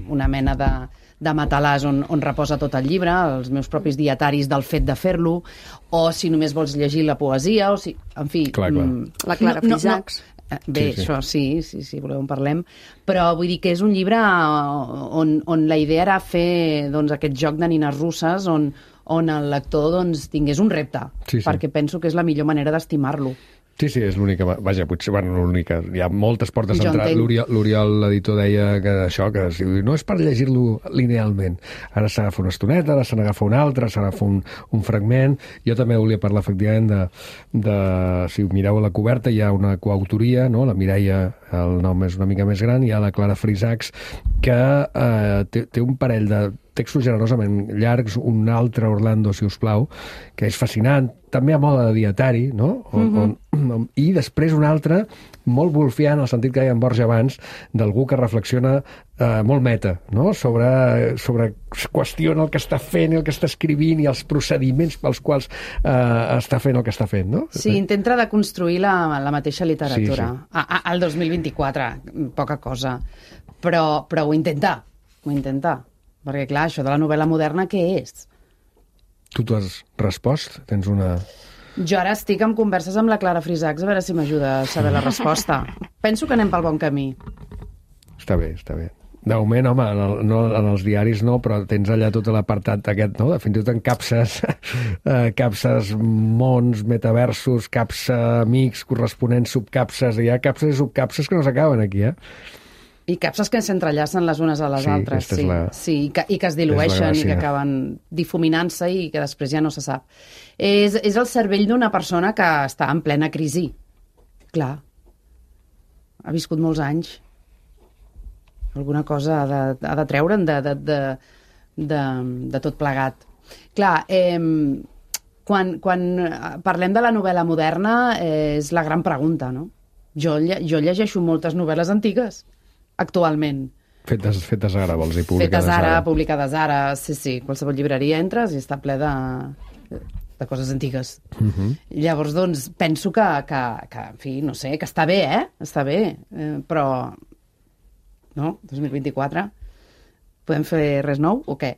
una mena de matalàs on reposa tot el llibre, els meus propis dietaris del fet de fer-lo, o si només vols llegir la poesia, o si, en fi... La Clara Frisacs. Bé, això sí, voleu en parlem, però vull dir que és un llibre on la idea era fer aquest joc de nines russes on el lector tingués un repte, perquè penso que és la millor manera d'estimar-lo. Sí, és l'única... Vaja, potser, l'única... Hi ha moltes portes d'entrada. L'Oriol, l'editor, deia que això, que no és per llegir-lo linealment. Ara s'agafa una estoneta, ara se n'agafa una altra, s'agafa un fragment. Jo també volia parlar, efectivament, si mireu a la coberta, hi ha una coautoria, no? La Mireia, el nom és una mica més gran, hi ha la Clara Frisacs, que té un parell de textos generosament llargs, un altre, Orlando, si us plau, que és fascinant, també a mode de dietari, no? I després un altre, molt wolfià, en el sentit que deia en Borja abans, d'algú que reflexiona molt meta, no? Sobre qüestiona el que està fent, el que està escrivint i els procediments pels quals està fent el que està fent, no? Sí, intenta deconstruir la mateixa literatura. Al 2024, poca cosa. Però ho intenta. Perquè, clar, això de la novel·la moderna, què és? Tu t'ho has respost? Tens una... Jo ara estic en converses amb la Clara Frisacs a veure si m'ajuda a saber la resposta. Penso que anem pel bon camí. Està bé. De moment, home, en els diaris no, però tens allà tot l'apartat aquest, no? Fins i tot en capses mons, metaversos, capsa amics, corresponents, subcapses. Hi ha capses i subcapses que no s'acaben aquí, I capses que s'entrellacen les unes a les altres, i que es dilueixen i que acaben difuminant-se i que després ja no se sap. És el cervell d'una persona que està en plena crisi. Clar. Ha viscut molts anys. Alguna cosa ha de treure'n de tot plegat. Clar, quan parlem de la novel·la moderna és la gran pregunta, no? Jo llegeixo moltes novel·les antigues actualment. Fetes ara, vols dir, publicades ara. Publicades ara, sí. Qualsevol llibreria entres i està ple de coses antigues. Llavors, doncs, penso que, en fi, no sé, que està bé, Està bé, però... No? 2024? Podem fer res nou o què?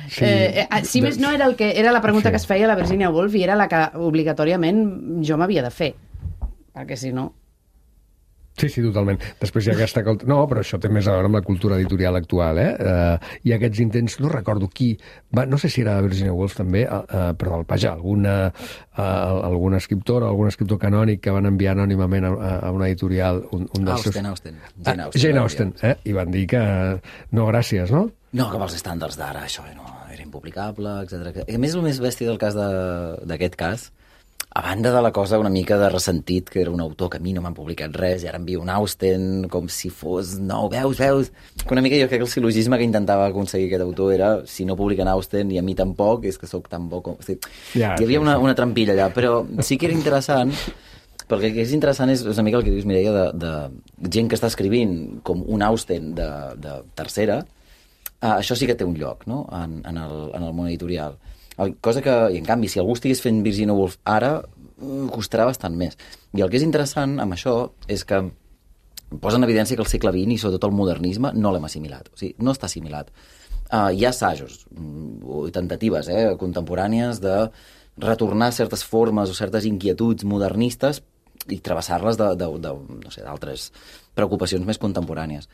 Si més no, era la pregunta que es feia la Virginia Woolf i era la que obligatòriament jo m'havia de fer. Perquè si no... Sí, totalment. Després hi ha aquesta... No, però això té més a veure amb la cultura editorial actual, Hi ha aquests intents, no recordo qui, no sé si era Virginia Woolf també, però vaja, algun escriptor canònic que van enviar anònimament a una editorial... Jane Austen, i van dir que no, gràcies, no? No, que pels estàndards d'ara això era impublicable, etc. A més, el més bèstia del cas d'aquest cas, a banda de la cosa una mica de ressentit, que era un autor que a mi no m'han publicat res, i ara envio un Austen com si fos... No, veus? Que una mica jo crec que el sil·logisme que intentava aconseguir aquest autor era si no publiquen Austen i a mi tampoc, és que sóc tan bo com... Hi havia una trampilla allà, però sí que era interessant, perquè el que és interessant és una mica el que dius, Mireia, de gent que està escrivint com un Austen de tercera. Això sí que té un lloc, no?, en el món editorial. Cosa que, i en canvi, si algú estigués fent Virginia Woolf ara, costarà bastant més. I el que és interessant amb això és que posa en evidència que el segle XX i sobretot el modernisme no l'hem assimilat. O sigui, no està assimilat. Hi ha assajos o tentatives contemporànies de retornar certes formes o certes inquietuds modernistes i travessar-les d'altres preocupacions més contemporànies.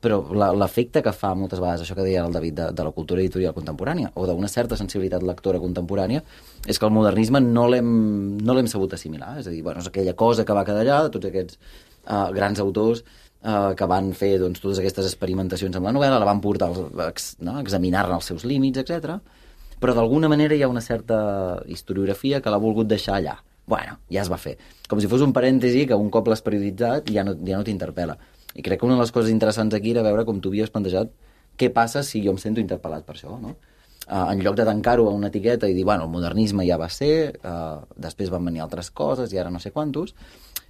Però l'efecte que fa moltes vegades, això que deia el David, de la cultura editorial contemporània o d'una certa sensibilitat lectora contemporània, és que el modernisme no l'hem sabut assimilar. És a dir, és aquella cosa que va quedar allà, de tots aquests grans autors que van fer totes aquestes experimentacions amb la novel·la, la van portar a examinar-ne els seus límits, etc. però d'alguna manera hi ha una certa historiografia que l'ha volgut deixar allà. Bueno, ja es va fer. Com si fos un parèntesi que un cop l'has perioditzat ja no t'interpel·la. I crec que una de les coses interessants aquí era veure com tu havies plantejat què passa si jo em sento interpel·lat per això, no? En lloc de tancar-ho a una etiqueta i dir, bueno, el modernisme ja va ser, després van venir altres coses i ara no sé quantos.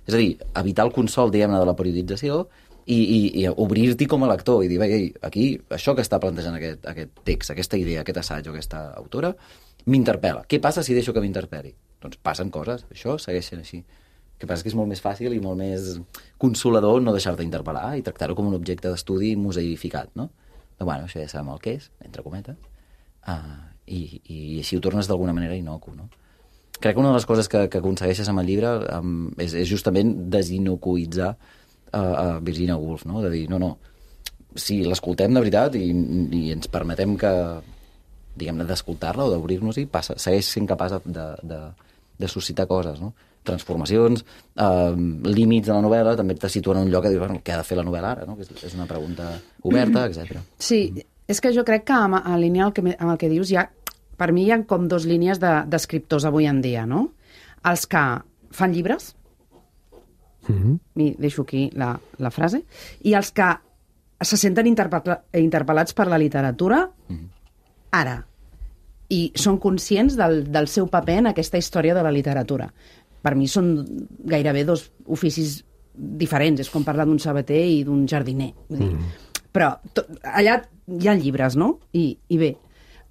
És a dir, evitar el consol, diguem-ne, de la periodització i obrir-t'hi com a lector i dir, ei, aquí, això que està plantejant aquest text, aquesta idea, aquest assaig o aquesta autora, m'interpel·la. Què passa si deixo que m'interpel·li? Doncs passen coses, això segueix sent així. El que passa és que és molt més fàcil i molt més consolador no deixar-te interpel·lar i tractar-ho com un objecte d'estudi museificat, no? Però, bueno, això ja sabem el que és, entre cometes, i així ho tornes d'alguna manera inocu, no? Crec que una de les coses que aconsegueixes amb el llibre és justament desinocuïtzar a Virginia Woolf, no? De dir, no, si l'escoltem de veritat i ens permetem que, diguem-ne, d'escoltar-la o d'obrir-nos-hi, segueix sent capaç de suscitar coses, no? Transformacions, límits de la novel·la, també te situen en un lloc que dius, bueno, què ha de fer la novel·la ara, no? Que és una pregunta oberta, etc. Sí, és que jo crec que en línia amb el que dius per mi hi ha com dues línies d'escriptors avui en dia, no? Els que fan llibres, i deixo aquí la frase, i els que se senten interpel·lats per la literatura ara, i són conscients del seu paper en aquesta història de la literatura. Per mi són gairebé dos oficis diferents, és com parlar d'un sabater i d'un jardiner. Però allà hi ha llibres, no? I bé,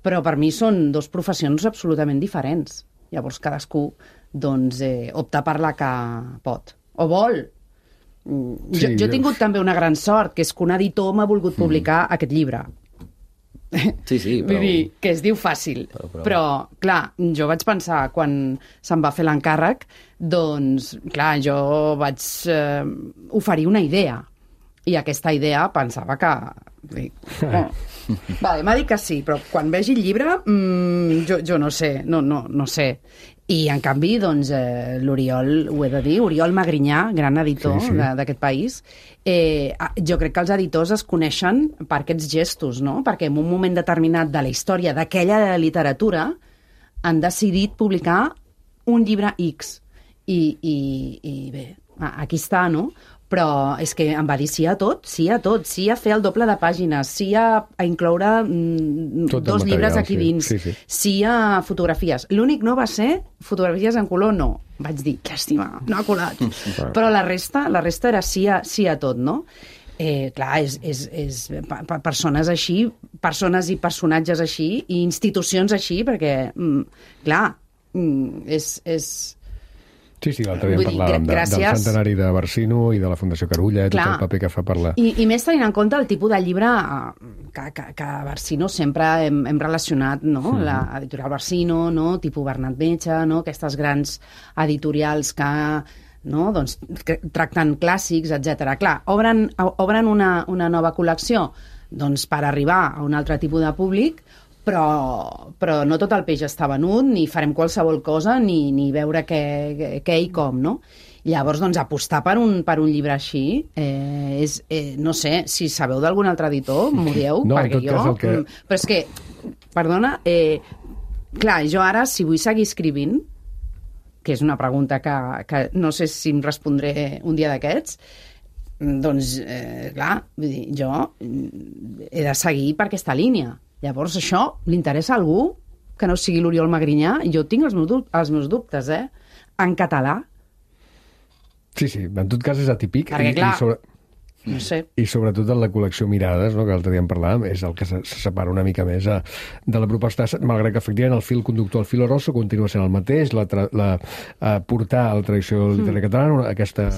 però per mi són dues professions absolutament diferents. Llavors cadascú doncs, opta per la que pot o vol. Jo he tingut també una gran sort, que és que un editor m'ha volgut publicar aquest llibre. Sí, però... Vull dir, que es diu fàcil. Però, clar, jo vaig pensar, quan se'm va fer l'encàrrec, doncs, clar, jo vaig oferir una idea. I aquesta idea pensava que... Vale, m'ha dit que sí, però quan vegi el llibre, jo no sé, no sé. I, en canvi, doncs, l'Oriol, ho he de dir, Oriol Magrinyà, gran editor d'aquest país, jo crec que els editors es coneixen per aquests gestos, no? Perquè en un moment determinat de la història d'aquella literatura han decidit publicar un llibre X. I bé, aquí està, no? Però és que em va dir sí a tot, sí a fer el doble de pàgines, sí a incloure dos llibres aquí dins, sí a fotografies. L'únic no va ser fotografies en color, no. Vaig dir, llàstima, no ha colat. Però la resta era sí a tot, no? Clar, és persones així, persones i personatges així, i institucions així, perquè, clar, és Sí, l'altre dia parlàvem del centenari de Barsino i de la Fundació Carulla, tot el paper que fa per la... I més tenint en compte el tipus de llibre que a Barsino sempre hem relacionat, no? L'editorial Barsino, no? Tipus Bernat Metge, no? Aquestes grans editorials que, no? Doncs, que tracten clàssics, etc. Clar, obren una nova col·lecció doncs, per arribar a un altre tipus de públic, però no tot el peix està venut, ni farem qualsevol cosa, ni veure què i com, no? Llavors, doncs, apostar per un llibre així és, no sé, si sabeu d'algun altre editor, m'ho dieu, perquè jo... Però és que, perdona, clar, jo ara, si vull seguir escrivint, que és una pregunta que no sé si em respondré un dia d'aquests, doncs, clar, vull dir, jo he de seguir per aquesta línia. Llavors, això li interessa a algú que no sigui l'Oriol Magrinyà? Jo tinc els meus dubtes, en català. Sí, en tot cas és atípic. Perquè, clar, no sé. I sobretot en la col·lecció Mirades, no, que l'altre dia en parlàvem, és el que se separa una mica més de la proposta, malgrat que efectivament el fil conductor, el filo rosso, continua sent el mateix, portar a la tradició literària catalana aquesta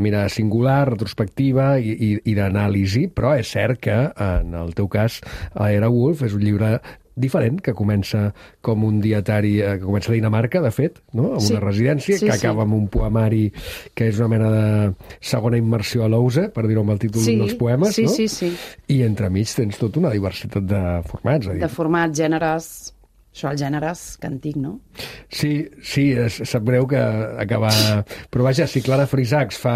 mirada singular, retrospectiva i d'anàlisi, però és cert que en el teu cas Era Woolf és un llibre diferent, que comença com un dietari, que comença a Dinamarca, de fet, no? Amb una residència, que acaba amb un poemari que és una mena de segona immersió a l'Ouse, per dir-ho amb el títol dels poemes, no? Sí. I entremig tens tota una diversitat de formats. De formats, gèneres... Això el gènere és cantic, no? Sí, sap greu que acabar... Però vaja, si Clara Frisacs fa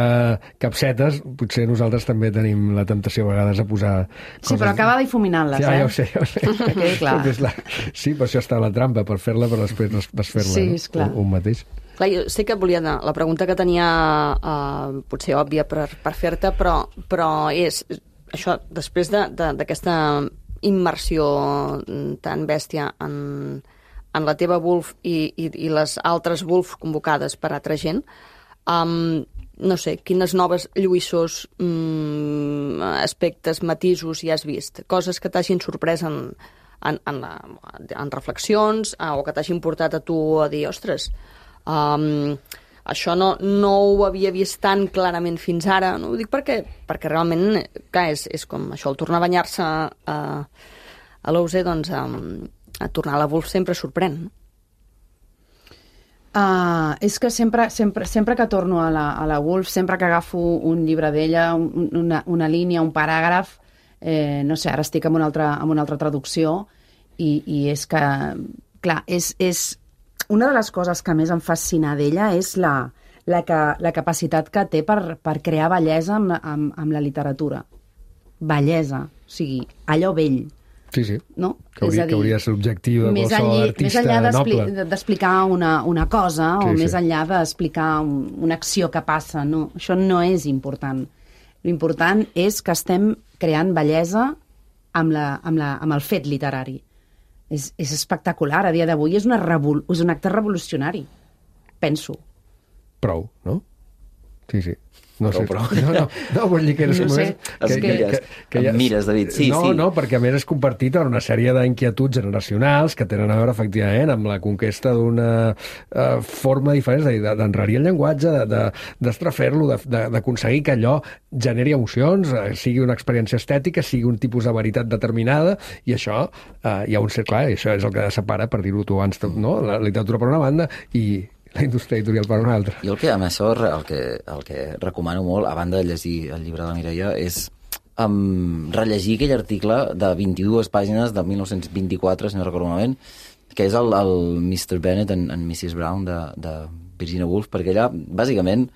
capsetes, potser nosaltres també tenim la temptació a vegades a posar coses... Sí, però acaba difuminant-les, Ja ho sé. Que quedi clar. Sí, per això està la trampa, per fer-la, però després desfer-la, sí, és clar. Un mateix. Clar, jo sé que volia anar... La pregunta que tenia, potser òbvia per fer-te, però és això, després d'aquesta immersió tan bèstia en la teva Wolf i les altres Wolf convocades per altra gent, no sé, quines noves lluïssors, aspectes, matisos hi has vist? Coses que t'hagin sorprès en reflexions o que t'hagin portat a tu a dir, ostres, això no ho havia vist tan clarament fins ara. No ho dic perquè realment, clar, és com això, el tornar a banyar-se a l'OUSE, doncs a tornar a la Wolf sempre sorprèn. És que sempre que torno a la Wolf, sempre que agafo un llibre d'ella, una línia, un paràgraf, no sé, ara estic amb una altra traducció i és que, clar, és una de les coses que més em fascina d'ella és la capacitat que té per crear bellesa amb la literatura. Bellesa, o sigui, allò vell. Sí. No? Que hauria de ser l'objectiu de qualsevol artista noble. Més enllà d'explicar una cosa o més enllà d'explicar una acció que passa, no. Això no és important. L'important és que estem creant bellesa amb el fet literari. És espectacular. A dia d'avui és un acte revolucionari, penso. Prou, no? Sí. No vull dir que... No sé. Em mires, David. Sí. No, perquè a més és compartit en una sèrie d'inquietuds generacionals que tenen a veure, efectivament, amb la conquesta d'una forma diferent, és a dir, d'enrarir el llenguatge, d'estrafer-lo, d'aconseguir que allò generi emocions, sigui una experiència estètica, sigui un tipus de veritat determinada, i això hi ha un cert clar, i això és el que separa, per dir-ho tu abans, no? La literatura per una banda i la indústria editorial per una altra. Jo amb això el que recomano molt, a banda de llegir el llibre de la Mireia, és rellegir aquell article de 22 pàgines del 1924, si no recordo malament, que és el Mr. Bennet and Mrs. Brown de Virginia Woolf, perquè allà, bàsicament,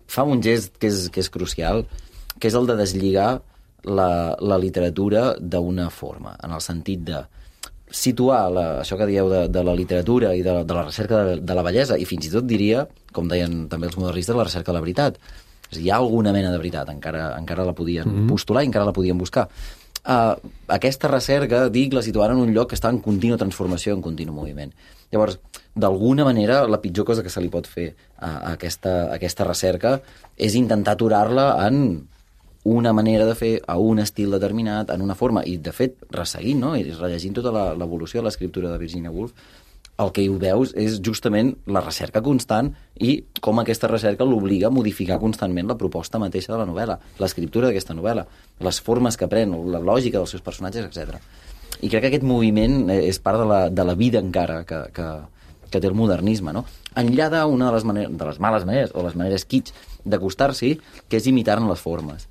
fa un gest que és crucial, que és el de deslligar la literatura d'una forma, en el sentit de situar això que dieu de la literatura i de la recerca de la bellesa, i fins i tot diria, com deien també els modernistes, la recerca de la veritat. És a dir, hi ha alguna mena de veritat, encara la podien postular i encara la podien buscar. Aquesta recerca, la situaven en un lloc que està en contínua transformació, en continu moviment. Llavors, d'alguna manera, la pitjor cosa que se li pot fer a aquesta recerca és intentar aturar-la en una manera de fer, a un estil determinat, en una forma, i de fet, resseguint, no? I rellegint tota l'evolució de l'escriptura de Virginia Woolf, el que hi veus és justament la recerca constant i com aquesta recerca l'obliga a modificar constantment la proposta mateixa de la novel·la, l'escriptura d'aquesta novel·la, les formes que pren, la lògica dels seus personatges, etc. I crec que aquest moviment és part de la vida encara que té el modernisme, no? Enllà d'una de les males maneres, o les maneres kitsch d'acostar-s'hi, que és imitar-ne les formes.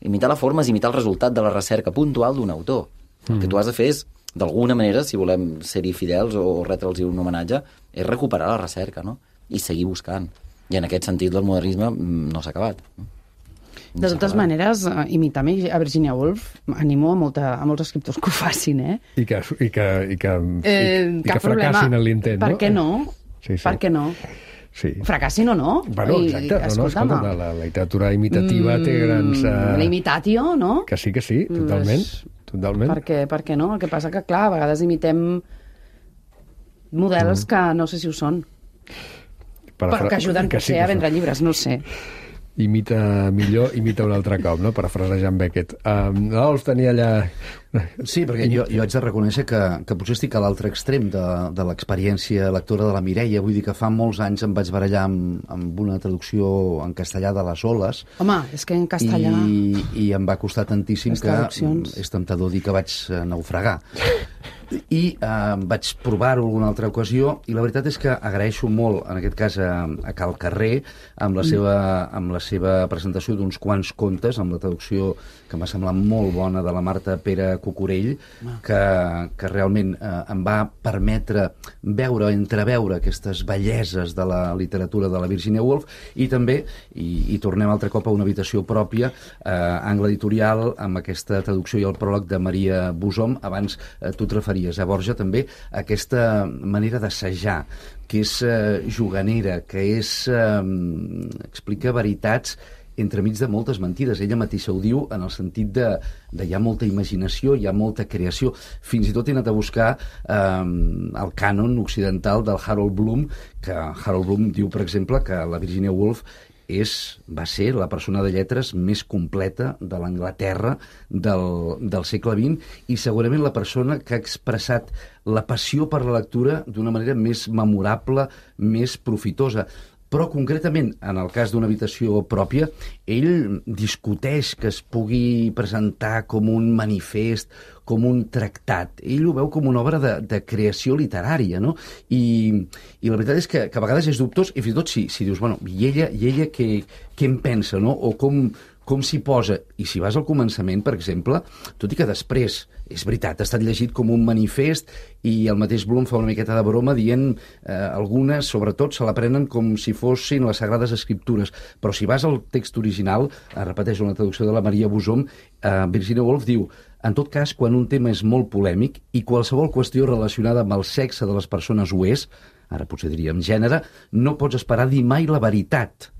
Imitar la forma és imitar el resultat de la recerca puntual d'un autor. El que tu has de fer és, d'alguna manera, si volem ser-hi fidels o retre'ls un homenatge, és recuperar la recerca, no? I seguir buscant. I en aquest sentit el modernisme no s'ha acabat. De totes maneres, imitar a Virginia Woolf animo a molts escriptors que ho facin, eh? I que fracassin en l'intent, no? Per què no? Sí. Per què no? Sí. Fracassin o no? Bueno, exacte. Escolta, la literatura imitativa té grans... La imitatio, no? Que sí, totalment. Totalment. Per què no? El que passa que, clar, a vegades imitem models que no sé si ho són. Però que ajuden potser a vendre llibres, no ho sé. Imita un altre cop, no? Parafrasejant Beckett. L'Olf tenia allà... Sí, perquè jo haig de reconèixer que potser estic a l'altre extrem de l'experiència lectora de la Mireia. Vull dir que fa molts anys em vaig barallar amb una traducció en castellà de Les Oles. Home, és que en castellà... I em va costar tantíssim que és temptador dir que vaig naufragar. I vaig provar-ho alguna altra ocasió i la veritat és que agraeixo molt, en aquest cas a Cal Carrer, amb la seva presentació d'uns quants contes, amb la traducció que m'ha semblat molt bona de la Marta Pere Cucurell, que realment em va permetre entreveure aquestes belleses de la literatura de la Virginia Woolf, i també, i tornem altre cop a una habitació pròpia, Angle Editorial, amb aquesta traducció i el pròleg de Maria Busom. Abans tu et referies a Borja també, aquesta manera d'assajar, que és juganera, que explica veritats entremig de moltes mentides. Ella mateixa ho diu en el sentit de hi ha molta imaginació, hi ha molta creació. Fins i tot he anat a buscar el cànon occidental del Harold Bloom, que Harold Bloom diu, per exemple, que la Virginia Woolf va ser la persona de lletres més completa de l'Anglaterra del segle XX i segurament la persona que ha expressat la passió per la lectura d'una manera més memorable, més profitosa. Però concretament, en el cas d'una habitació pròpia, ell discuteix que es pugui presentar com un manifest, com un tractat. Ell ho veu com una obra de creació literària, no? I la veritat és que a vegades és dubtós, i fins i tot si dius, bueno, i ella què en pensa, no? O com s'hi posa. I si vas al començament, per exemple, tot i que després, és veritat, ha estat llegit com un manifest i el mateix Bloom fa una miqueta de broma dient algunes, sobretot, se l'aprenen com si fossin les Sagrades Escriptures. Però si vas al text original, repeteixo, una traducció de la Maria Busom, Virginia Woolf diu: en tot cas, quan un tema és molt polèmic i qualsevol qüestió relacionada amb el sexe de les persones ho és, ara potser diríem gènere, no pots esperar dir mai la veritat.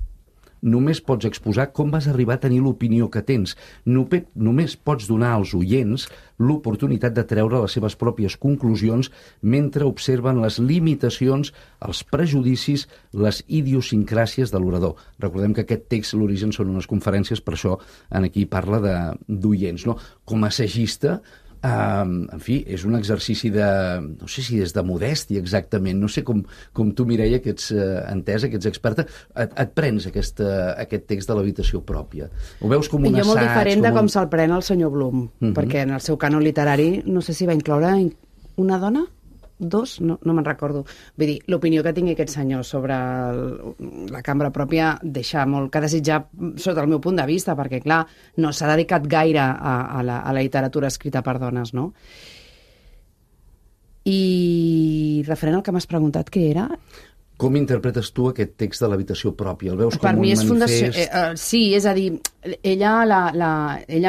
Només pots exposar com vas arribar a tenir l'opinió que tens. Només pots donar als oients l'oportunitat de treure les seves pròpies conclusions mentre observen les limitacions, els prejudicis, les idiosincràsies de l'orador. Recordem que aquest text, l'origen, són unes conferències, per això aquí parla d'oients, no? Com a assagista, en fi, és un exercici no sé si és de modèstia exactament, no sé com tu, Mireia, que ets entesa, que ets experta, et prens aquest text de l'habitació pròpia. Ho veus com un assaig? Jo molt diferent de com se'l pren el senyor Bloom, perquè en el seu cànon literari no sé si va incloure una dona? Dos? No me'n recordo. Vull dir, l'opinió que tingui aquest senyor sobre la cambra pròpia deixa molt que desitjar sota el meu punt de vista, perquè, clar, no s'ha dedicat gaire a la literatura escrita per dones, no? I referent al que m'has preguntat, què era? Com interpretes tu aquest text de l'habitació pròpia? El veus com un manifest? Sí, és a dir, ella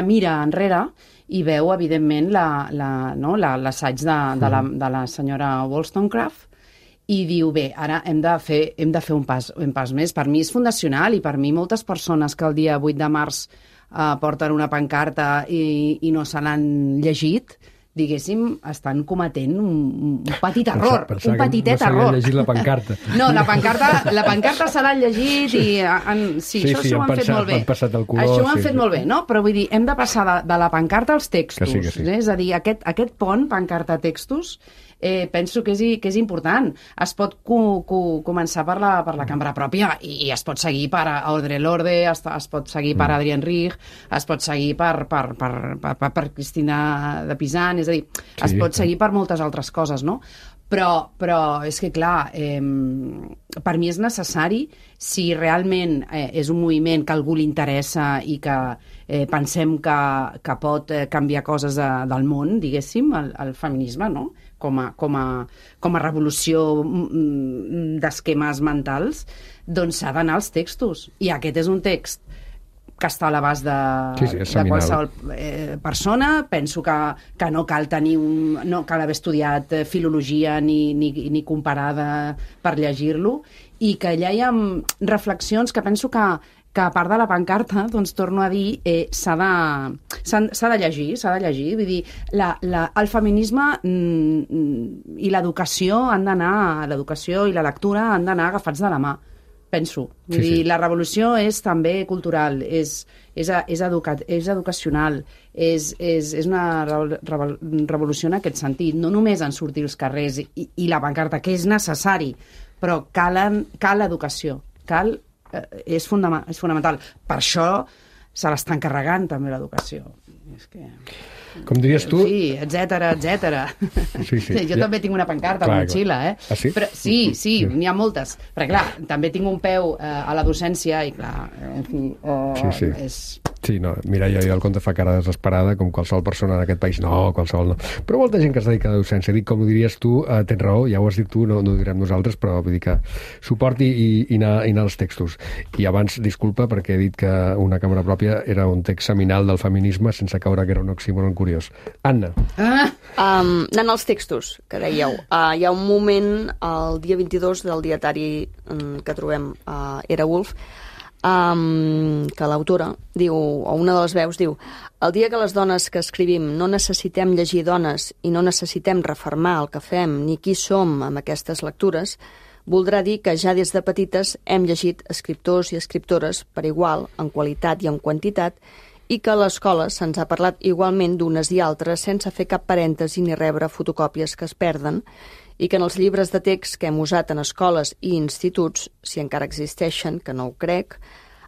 mira enrere i veu, evidentment, l'assaig de la senyora Wollstonecraft i diu, bé, ara hem de fer un pas més. Per mi és fundacional i per mi moltes persones que el dia 8 de març porten una pancarta i no se l'han llegit, diguéssim, estan cometent un petit error, un petitet error. No s'havia llegit la pancarta. No, la pancarta se l'han llegit i sí, això ho han fet molt bé. Això ho han fet molt bé, no? Però vull dir, hem de passar de la pancarta als textos. Que sí. És a dir, aquest pont, pancarta-textos, penso que és important. Es pot començar per la cambra pròpia i es pot seguir per Audre Lorde, es pot seguir per Adrienne Rich, es pot seguir per Cristina de Pisan, és a dir, es pot seguir per moltes altres coses, no? Però és que, clar, per mi és necessari, si realment és un moviment que a algú li interessa i que pensem que pot canviar coses del món, diguéssim, el feminisme, no? Com a revolució d'esquemes mentals, doncs s'ha d'anar als textos. I aquest és un text que està a l'abast de qualsevol persona. Penso que no cal no cal haver estudiat filologia ni comparada per llegir-lo, i que allà hi ha reflexions que penso que a part de la pancarta, doncs torno a dir, s'ha de llegir. Vull dir, el feminisme i l'educació l'educació i la lectura han d'anar agafats de la mà, penso. Vull dir, la revolució és també cultural, és educacional, és una revolució en aquest sentit, no només en sortir als carrers i la pancarta, que és necessari, però cal educació, és fonamental. Per això se l'està encarregant també l'educació. És que... Com diries tu... Sí, etcètera. Sí. Jo també tinc una pancarta a la motxilla, Ah, sí? Però, sí, n'hi ha moltes. Perquè, clar, també tinc un peu a la docència i, clar, en fi, és... Sí, no, Mireia, jo el conte fa cara desesperada, com qualsevol persona en aquest país, no, qualsevol no. Però molta gent que es dedica a la docència, dic, com ho diries tu, tens raó, ja ho has dit tu, no ho direm nosaltres, però vull dir que suport i anar als textos. I abans, disculpa, perquè he dit que Una càmera pròpia era un text seminal del feminisme, sense caure que era un oxímoron curiós. Anna. Anant als textos, que dèieu, hi ha un moment, el dia 22 del dietari que trobem Era Woolf, que l'autora diu, o una de les veus diu: el dia que les dones que escrivim no necessitem llegir dones i no necessitem refermar el que fem ni qui som amb aquestes lectures, voldrà dir que ja des de petites hem llegit escriptors i escriptores per igual, en qualitat i en quantitat, i que a l'escola se'ns ha parlat igualment d'unes i altres sense fer cap parèntesi ni rebre fotocòpies que es perden, i que en els llibres de text que hem usat en escoles i instituts, si encara existeixen, que no ho crec,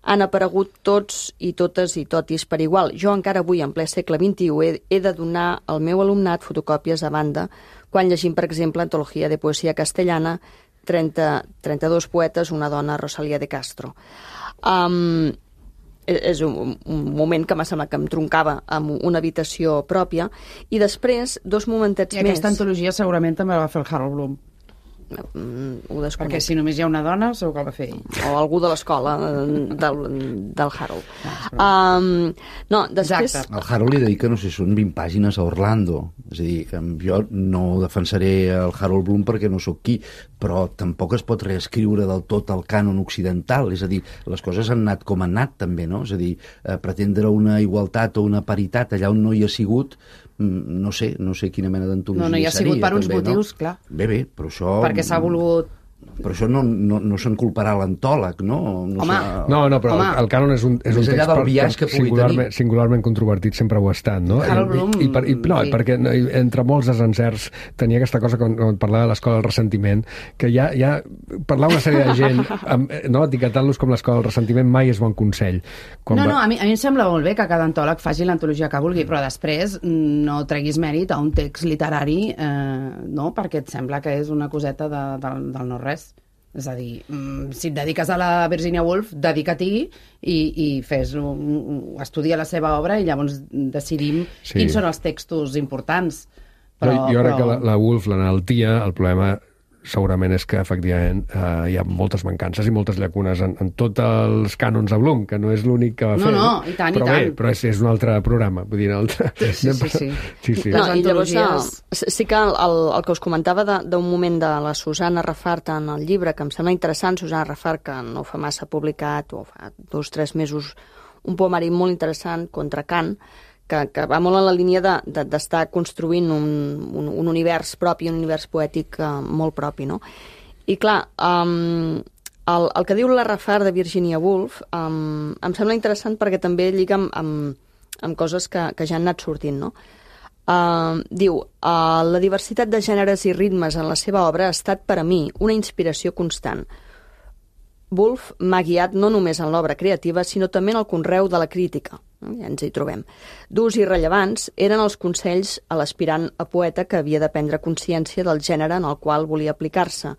han aparegut tots i totes i totis per igual. Jo encara avui, en ple segle XXI, he de donar al meu alumnat fotocòpies a banda quan llegim, per exemple, Antologia de Poesia Castellana, 32 poetes, una dona, Rosalía de Castro. És un moment que m'ha semblat que em troncava amb una habitació pròpia, i després, 2 momentets més... I aquesta antologia segurament també la va fer el Harold Bloom. Ho desconec. Perquè si només hi ha una dona, segur que el va fer ell. O algú de l'escola del Harold. No, després... Al Harold li dedica, no sé, són 20 pàgines a Orlando. És a dir, que jo no defensaré el Harold Bloom perquè no sóc qui, però tampoc es pot reescriure del tot el cànon occidental. És a dir, les coses han anat com han anat, també, no? És a dir, pretendre una igualtat o una paritat allà on no hi ha sigut, no sé quina mena d'antologia seria. No hi ha sigut per uns també, motius, no? clar. Bé, però això... Perquè s'ha volgut... Però això no se'n culparà l'antòleg, no? Home. No, però el cànon és un més enllà del biaix que pugui tenir. Singularment controvertit sempre ho ha estat, no? Harold Bloom... Perquè entre molts desencerts tenia aquesta cosa quan parlava de l'escola del ressentiment, que ja parlar una sèrie de gent, no, etiquetant-los com l'escola del ressentiment mai és bon consell. A mi em sembla molt bé que cada antòleg faci l'antologia que vulgui, però després no treguis mèrit a un text literari, no? Perquè et sembla que és una coseta del no-res. És a dir, si et dediques a la Virginia Woolf, dedica-t'hi i estudia la seva obra i llavors decidim quins són els textos importants. Jo crec que la Woolf, l'enaltia, el problema segurament és que efectivament hi ha moltes mancances i moltes llacunes en tots els cànons de Bloom, que no és l'únic que va fer. No, i tant, però bé, però és un altre programa, vull dir, Sí. No, i llavors sí que el que us comentava d'un moment de la Susana Rafart en el llibre, que em sembla interessant, Susana Rafart, que no fa massa publicat, o fa 2 o 3 mesos, un poemari molt interessant contra Kant, que va molt en la línia d'estar construint un univers propi, un univers poètic molt propi, no? I clar, el que diu la Rafart de Virginia Woolf em sembla interessant perquè també lliga amb coses que ja han anat sortint, no? Diu, la diversitat de gèneres i ritmes en la seva obra ha estat per a mi una inspiració constant. Woolf m'ha guiat no només en l'obra creativa, sinó també en el conreu de la crítica. Ja ens hi trobem. Durs i rellevants eren els consells a l'aspirant a poeta que havia de prendre consciència del gènere en el qual volia aplicar-se.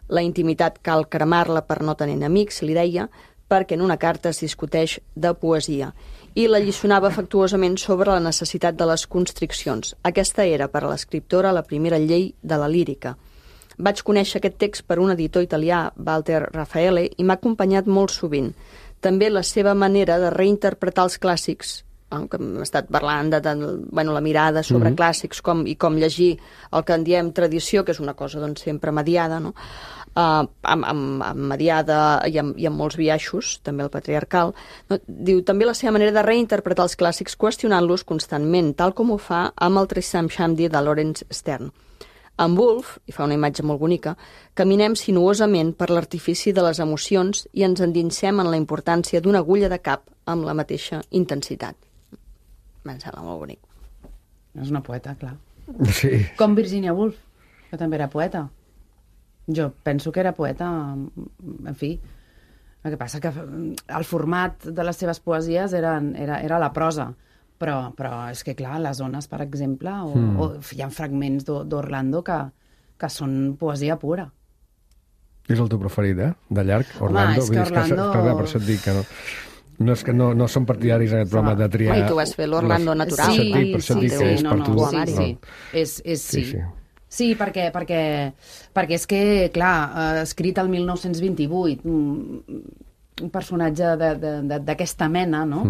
La intimitat cal cremar-la per no tenir amics, li deia, perquè en una carta es discuteix de poesia. I la lliçonava afectuosament sobre la necessitat de les constriccions. Aquesta era, per a l'escriptora, la primera llei de la lírica. Vaig conèixer aquest text per un editor italià, Walter Raffaele, i m'ha acompanyat molt sovint. També la seva manera de reinterpretar els clàssics, que hem estat parlant de la mirada sobre clàssics i com llegir el que en diem tradició, que és una cosa doncs, sempre mediada, no? Amb mediada i amb molts biaixos, també el patriarcal. No? Diu també la seva manera de reinterpretar els clàssics qüestionant-los constantment, tal com ho fa amb el Tristram Shandy de Laurence Sterne. Amb Woolf, i fa una imatge molt bonica, caminem sinuosament per l'artifici de les emocions i ens endinsem en la importància d'una agulla de cap amb la mateixa intensitat. Em sembla molt bonic. És una poeta, clar. Sí. Com Virginia Woolf, que també era poeta. Jo penso que era poeta, en fi, El que passa que el format de les seves poesies era la prosa, però és que, clar, les ones, per exemple, o hi ha fragments d'Orlando que són poesia pura. És el teu preferit, de llarg, Orlando? Home, és que Orlando... Per això et dic que no... No és que no són partidaris en aquest programa de triar... I tu vas fer l'Orlando natural. Sí, per això et dic que és per tu. Sí. Sí, perquè és que, clar, escrit el 1928, un personatge d'aquesta mena, no?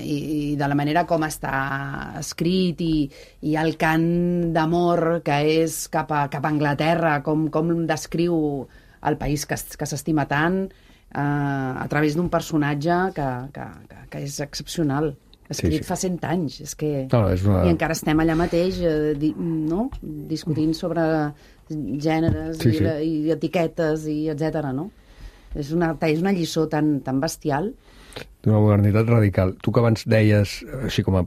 I de la manera com està escrit i el cant d'amor que és cap a Anglaterra, com descriu el país que s'estima tant, a través d'un personatge que és excepcional, escrit fa 100 anys, és que... I encara estem allà mateix, no?, discutint sobre gèneres i etiquetes i etcètera, no? És una lliçó tan bestial. D'una modernitat radical. Tu que abans deies, així com a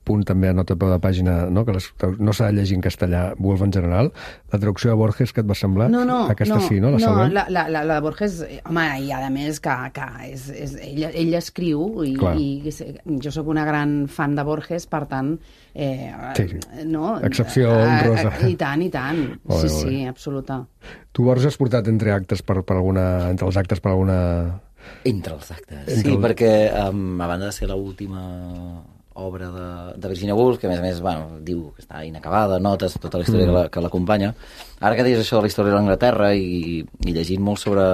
punt també a nota a peu de pàgina, no, que no s'ha de llegir en castellà Woolf en general, la traducció de Borges, què et va semblar? Aquesta sí, no? La de Borges, home, i a més que ell escriu i jo sóc una gran fan de Borges, per tant... no? Excepció honrosa. I tant. Sí, absoluta. Tu, Borges, has portat entre els actes per alguna... Entre els actes, sí, perquè a banda de ser l'última obra de Virginia Woolf, que a més, diu que està inacabada, notes, tota la història que l'acompanya, ara que deies això de la història d'Anglaterra i llegint molt sobre...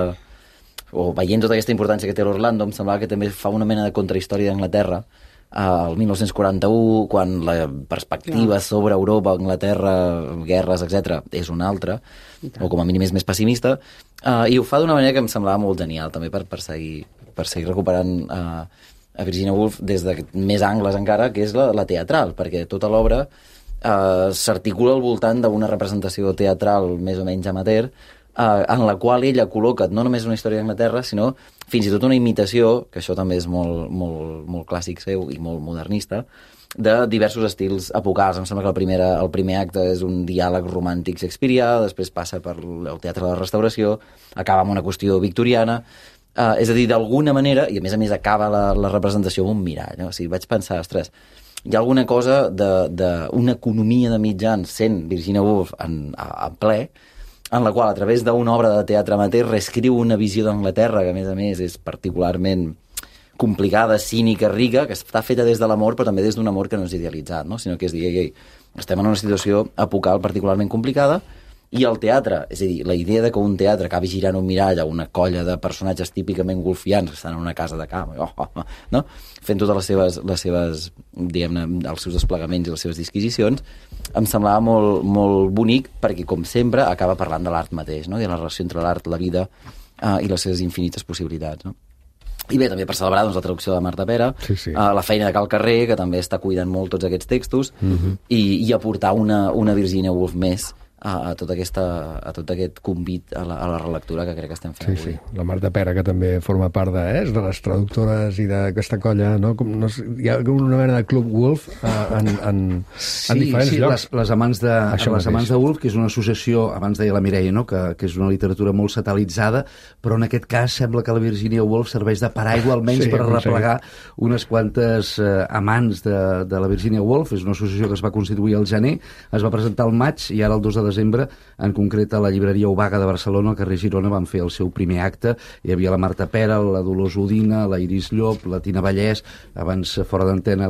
o veient tota aquesta importància que té l'Orlando, em semblava que també fa una mena de contrahistòria d'Anglaterra, el 1941, quan la perspectiva sobre Europa, Anglaterra, guerres, etc., és una altra, o com a mínim és més pessimista, i ho fa d'una manera que em semblava molt genial, també per seguir recuperant a Virginia Woolf des de més angles encara, que és la teatral, perquè tota l'obra s'articula al voltant d'una representació teatral més o menys amateur, en la qual ella col·loca no només una història d'Anglaterra, sinó fins i tot una imitació, que això també és molt, molt, molt clàssic seu i molt modernista, de diversos estils epocals. Em sembla que el primer acte és un diàleg romàntic shakespearià, després passa per el teatre de la Restauració, acaba amb una qüestió victoriana, és a dir, d'alguna manera, i a més acaba la representació amb un mirall, no? O sigui, vaig pensar, ostres, hi ha alguna cosa d'una economia de mitjans sent Virginia Woolf a ple, en la qual, a través d'una obra de teatre amateur, reescriu una visió d'Anglaterra, que a més és particularment complicada, cínica, rica, que està feta des de l'amor, però també des d'un amor que no és idealitzat, no? Sinó que és dir, estem en una situació epocal particularment complicada, i el teatre, és a dir, la idea de que un teatre acabi girant un mirall a una colla de personatges típicament golfians que estan en una casa de camp, no? Fent totes les seves diguem-ne, els seus desplegaments i les seves disquisicions, em semblava molt, molt bonic, perquè, com sempre, acaba parlant de l'art mateix, no? I de la relació entre l'art, la vida i les seves infinites possibilitats, no? I bé, també per celebrar la traducció de Marta Pera, la feina de Cal Carrer, que també està cuidant molt tots aquests textos, i aportar una Virginia Woolf més a tot aquest convit a la relectura que crec que estem fent avui. La Marta Pera, que també forma part de les traductores i d'aquesta colla, no? Hi ha una mena de club Woolf en diferents llocs. Les amants de Woolf, que és una associació, abans deia la Mireia, no? que és una literatura molt satelitzada, però en aquest cas sembla que la Virginia Woolf serveix de paraigua almenys per replegar unes quantes amants de la Virginia Woolf. És una associació que es va constituir al gener, es va presentar al maig i ara el 2 de desembre, en concret a la llibreria Obaga de Barcelona, al carrer Girona, van fer el seu primer acte. Hi havia la Marta Pera, la Dolors Udina, la Iris Llop, la Tina Vallès, abans fora d'antena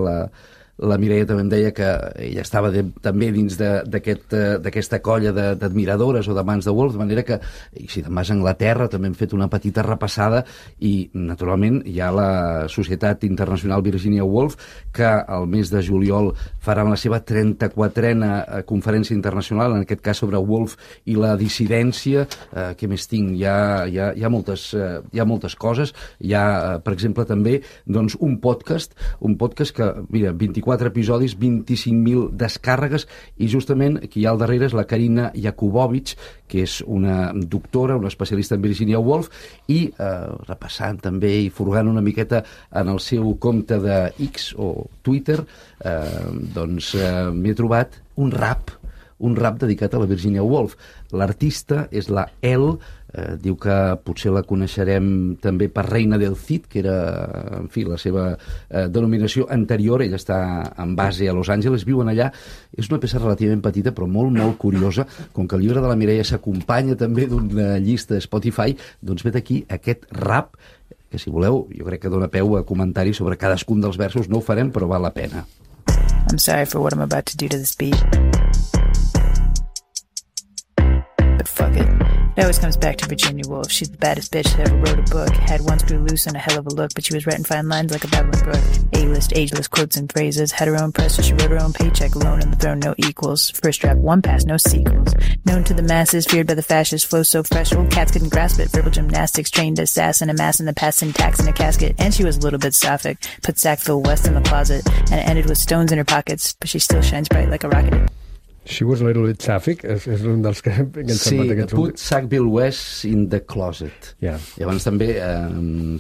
la Mireia també em deia que ella estava també dins d'aquesta colla d'admiradores o d'amants de Woolf, de manera que, i si te'n vas a Anglaterra, també hem fet una petita repassada, i naturalment hi ha la Societat Internacional Virginia Woolf, que el mes de juliol farà la seva 34a conferència internacional, en aquest cas sobre Woolf i la dissidència. Què més tinc? Hi ha moltes coses. Hi ha, per exemple, també un podcast que, mira, 24 episodis, 25.000 descàrregues, i justament qui hi ha al darrere és la Karina Jakubowicz, que és una doctora, una especialista en Virginia Woolf, i repassant també i furgant una miqueta en el seu compte de X o Twitter, m'he trobat un rap un rap dedicat a la Virginia Woolf. L'artista és la Elle, diu que potser la coneixerem també per Reina del Cid, que era, en fi, la seva denominació anterior. Ella està en base a Los Angeles, viuen allà. És una peça relativament petita, però molt, molt curiosa. Com que el llibre de la Mireia s'acompanya també d'una llista de Spotify, doncs vet aquí aquest rap, que si voleu, jo crec que dona peu a comentaris sobre cadascun dels versos. No ho farem, però val la pena. I'm sorry for what I'm about to do to this beat. But fuck it. It always comes back to Virginia Woolf. She's the baddest bitch that ever wrote a book. Had one screw loose and a hell of a look, but she was writing fine lines like a Babylon Brook. A-list, ageless quotes and phrases. Had her own press, so she wrote her own paycheck. Alone on the throne, no equals. First draft, one pass, no sequels. Known to the masses, feared by the fascists. Flow so fresh, old cats couldn't grasp it. Verbal gymnastics, trained assassin, amassing the past syntax in a casket. And she was a little bit sapphic. Put Sackville West in the closet, and it ended with stones in her pockets. But she still shines bright like a rocket. She was a little bit sapphic, és un dels que ens sí, put Sackville West in the closet. Yeah. Llavors també,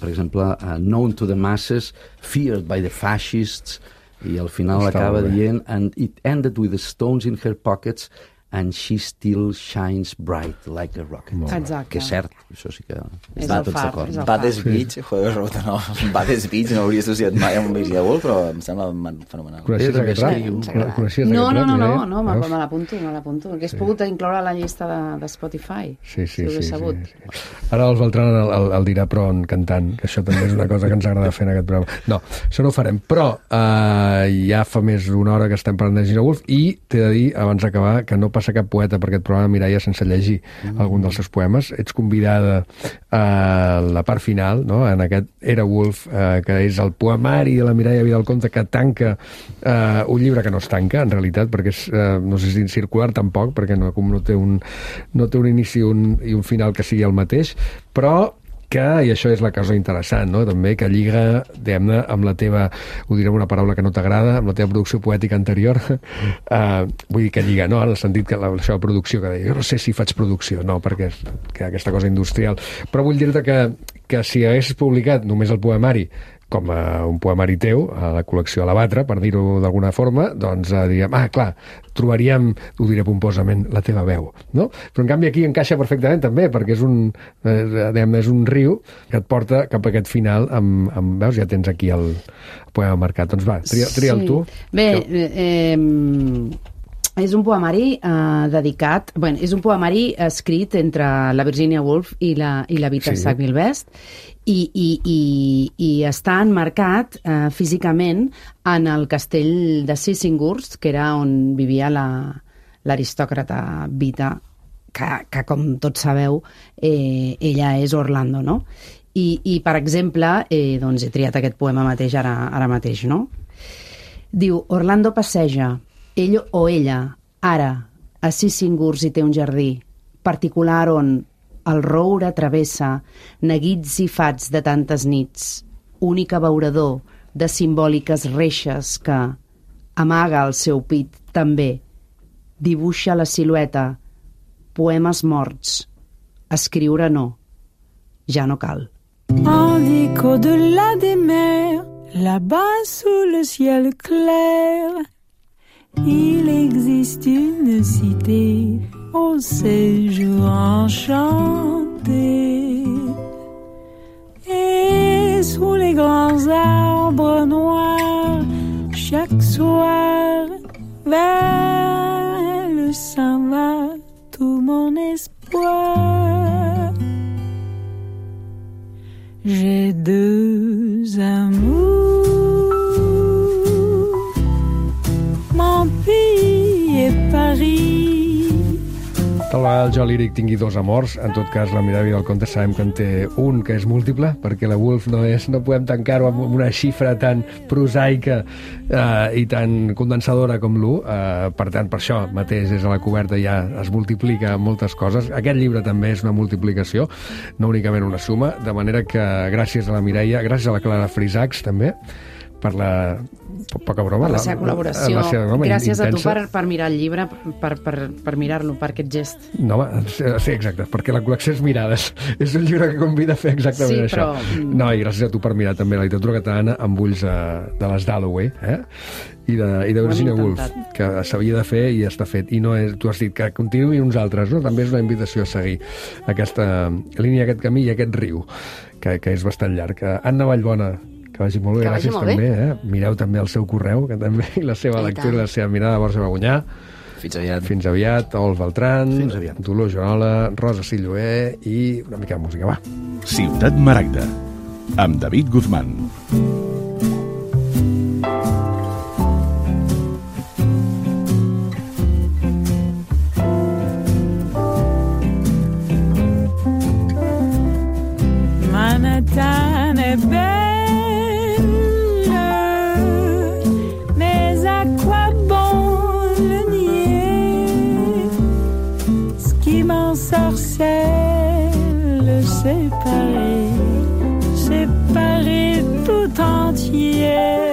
per exemple, known to the masses, feared by the fascists, i al final acaba dient, and it ended with the stones in her pockets, and she still shines bright like a rocket. Exacte. Que és cert, això sí que està tots d'acord. Baddest Beach, joder, no, Baddest Beach no hauria associat mai amb Virginia Woolf, però em sembla fenomenal. Coneixies aquest rap? No, me l'apunto, perquè has pogut incloure a la llista de Spotify. Sí. Ara els Beltrán el dirà però en cantant, que això també és una cosa que ens agrada fer en aquest programa. No, això no ho farem, però ja fa més d'una hora que estem parlant de Virginia Woolf i t'he de dir, abans d'acabar, que no passa cap poeta per aquest programa, Mireia, sense llegir algun dels seus poemes. Ets convidada a la part final, no? En aquest Era Woolf, que és el poemari de la Mireia Vidal-Conte, que tanca un llibre que no es tanca, en realitat, perquè és, no sé si circular tampoc, perquè no té un inici i un final que sigui el mateix, però que, i això és la cosa interessant, no? També, que lliga, diguem-ne, amb la teva, ho diré amb una paraula que no t'agrada, amb la teva producció poètica anterior, vull dir que lliga, no? En el sentit que la seva producció, que deia, jo no sé si faig producció, no, perquè és que aquesta cosa industrial, però vull dir-te que si haguessis publicat només el poemari com un poemari teu, a la col·lecció a la Batra, per dir-ho d'alguna forma, doncs diríem, clar, trobaríem, ho diré pomposament, la teva veu, no? Però en canvi aquí encaixa perfectament també, perquè és un riu que et porta cap a aquest final veus, ja tens aquí el poema marcat. Doncs va, tria'l tu. Bé, és un poemari dedicat... Bueno, és un poemari escrit entre la Virginia Woolf i la Vita Sackville West i està enmarcat físicament en el castell de Sissinghurst, que era on vivia l'aristòcrata Vita, que com tots sabeu, ella és Orlando, no? I per exemple, doncs he triat aquest poema mateix ara mateix, no? Diu, Orlando passeja, ell o ella, ara, a Sissinghurst hi té un jardí particular on el roure travessa neguits i fats de tantes nits, únic abeurador de simbòliques reixes que amaga el seu pit també, dibuixa la silueta, poemes morts, escriure no, ja no cal. En l'écho de la des mers, là-bas sous le ciel clair, il existe une cité au séjour enchanté. Et sous les grands arbres noirs, chaque soir, vers elle s'en va tout mon espoir. J'ai deux amours, mon pays et Paris. Tal vegada el jo líric tingui dos amors, en tot cas la Mireia Vidal-Conte sabem que en té un que és múltiple, perquè la Woolf no podem tancar-ho amb una xifra tan prosaica i tan condensadora com l'1, per tant, per això mateix des de la coberta ja es multiplica moltes coses. Aquest llibre també és una multiplicació, no únicament una suma, de manera que gràcies a la Mireia, gràcies a la Clara Frisacs també, poca broma, la seva col·laboració. Gràcies intensa. a tu per mirar el llibre, per mirar-lo, per aquest gest. No, home, sí, exacte, perquè la col·lecció és mirades. És un llibre que convida a fer exactament això. No, i gràcies a tu per mirar també la literatura catalana amb ulls de les Dalloway, i de Virginia Woolf, que s'havia de fer i està fet. I no és, tu has dit que continuï uns altres, no? També és una invitació a seguir aquesta línia, aquest camí i aquest riu, que és bastant llarg. Anna Vallbona, que vagi molt bé, gràcies també. Mireu també el seu correu, que també, i la seva lectura, la seva mirada, Borja Bagunyà. Fins aviat, Ol Beltran, Dolors Joanola, Rosa Silloé i una mica de música, va. Ciutat Maragda, amb David Guzmán. Manhattan est belle, mais à quoi bon le nier? Ce qui m'ensorcelle, c'est Paris tout entier.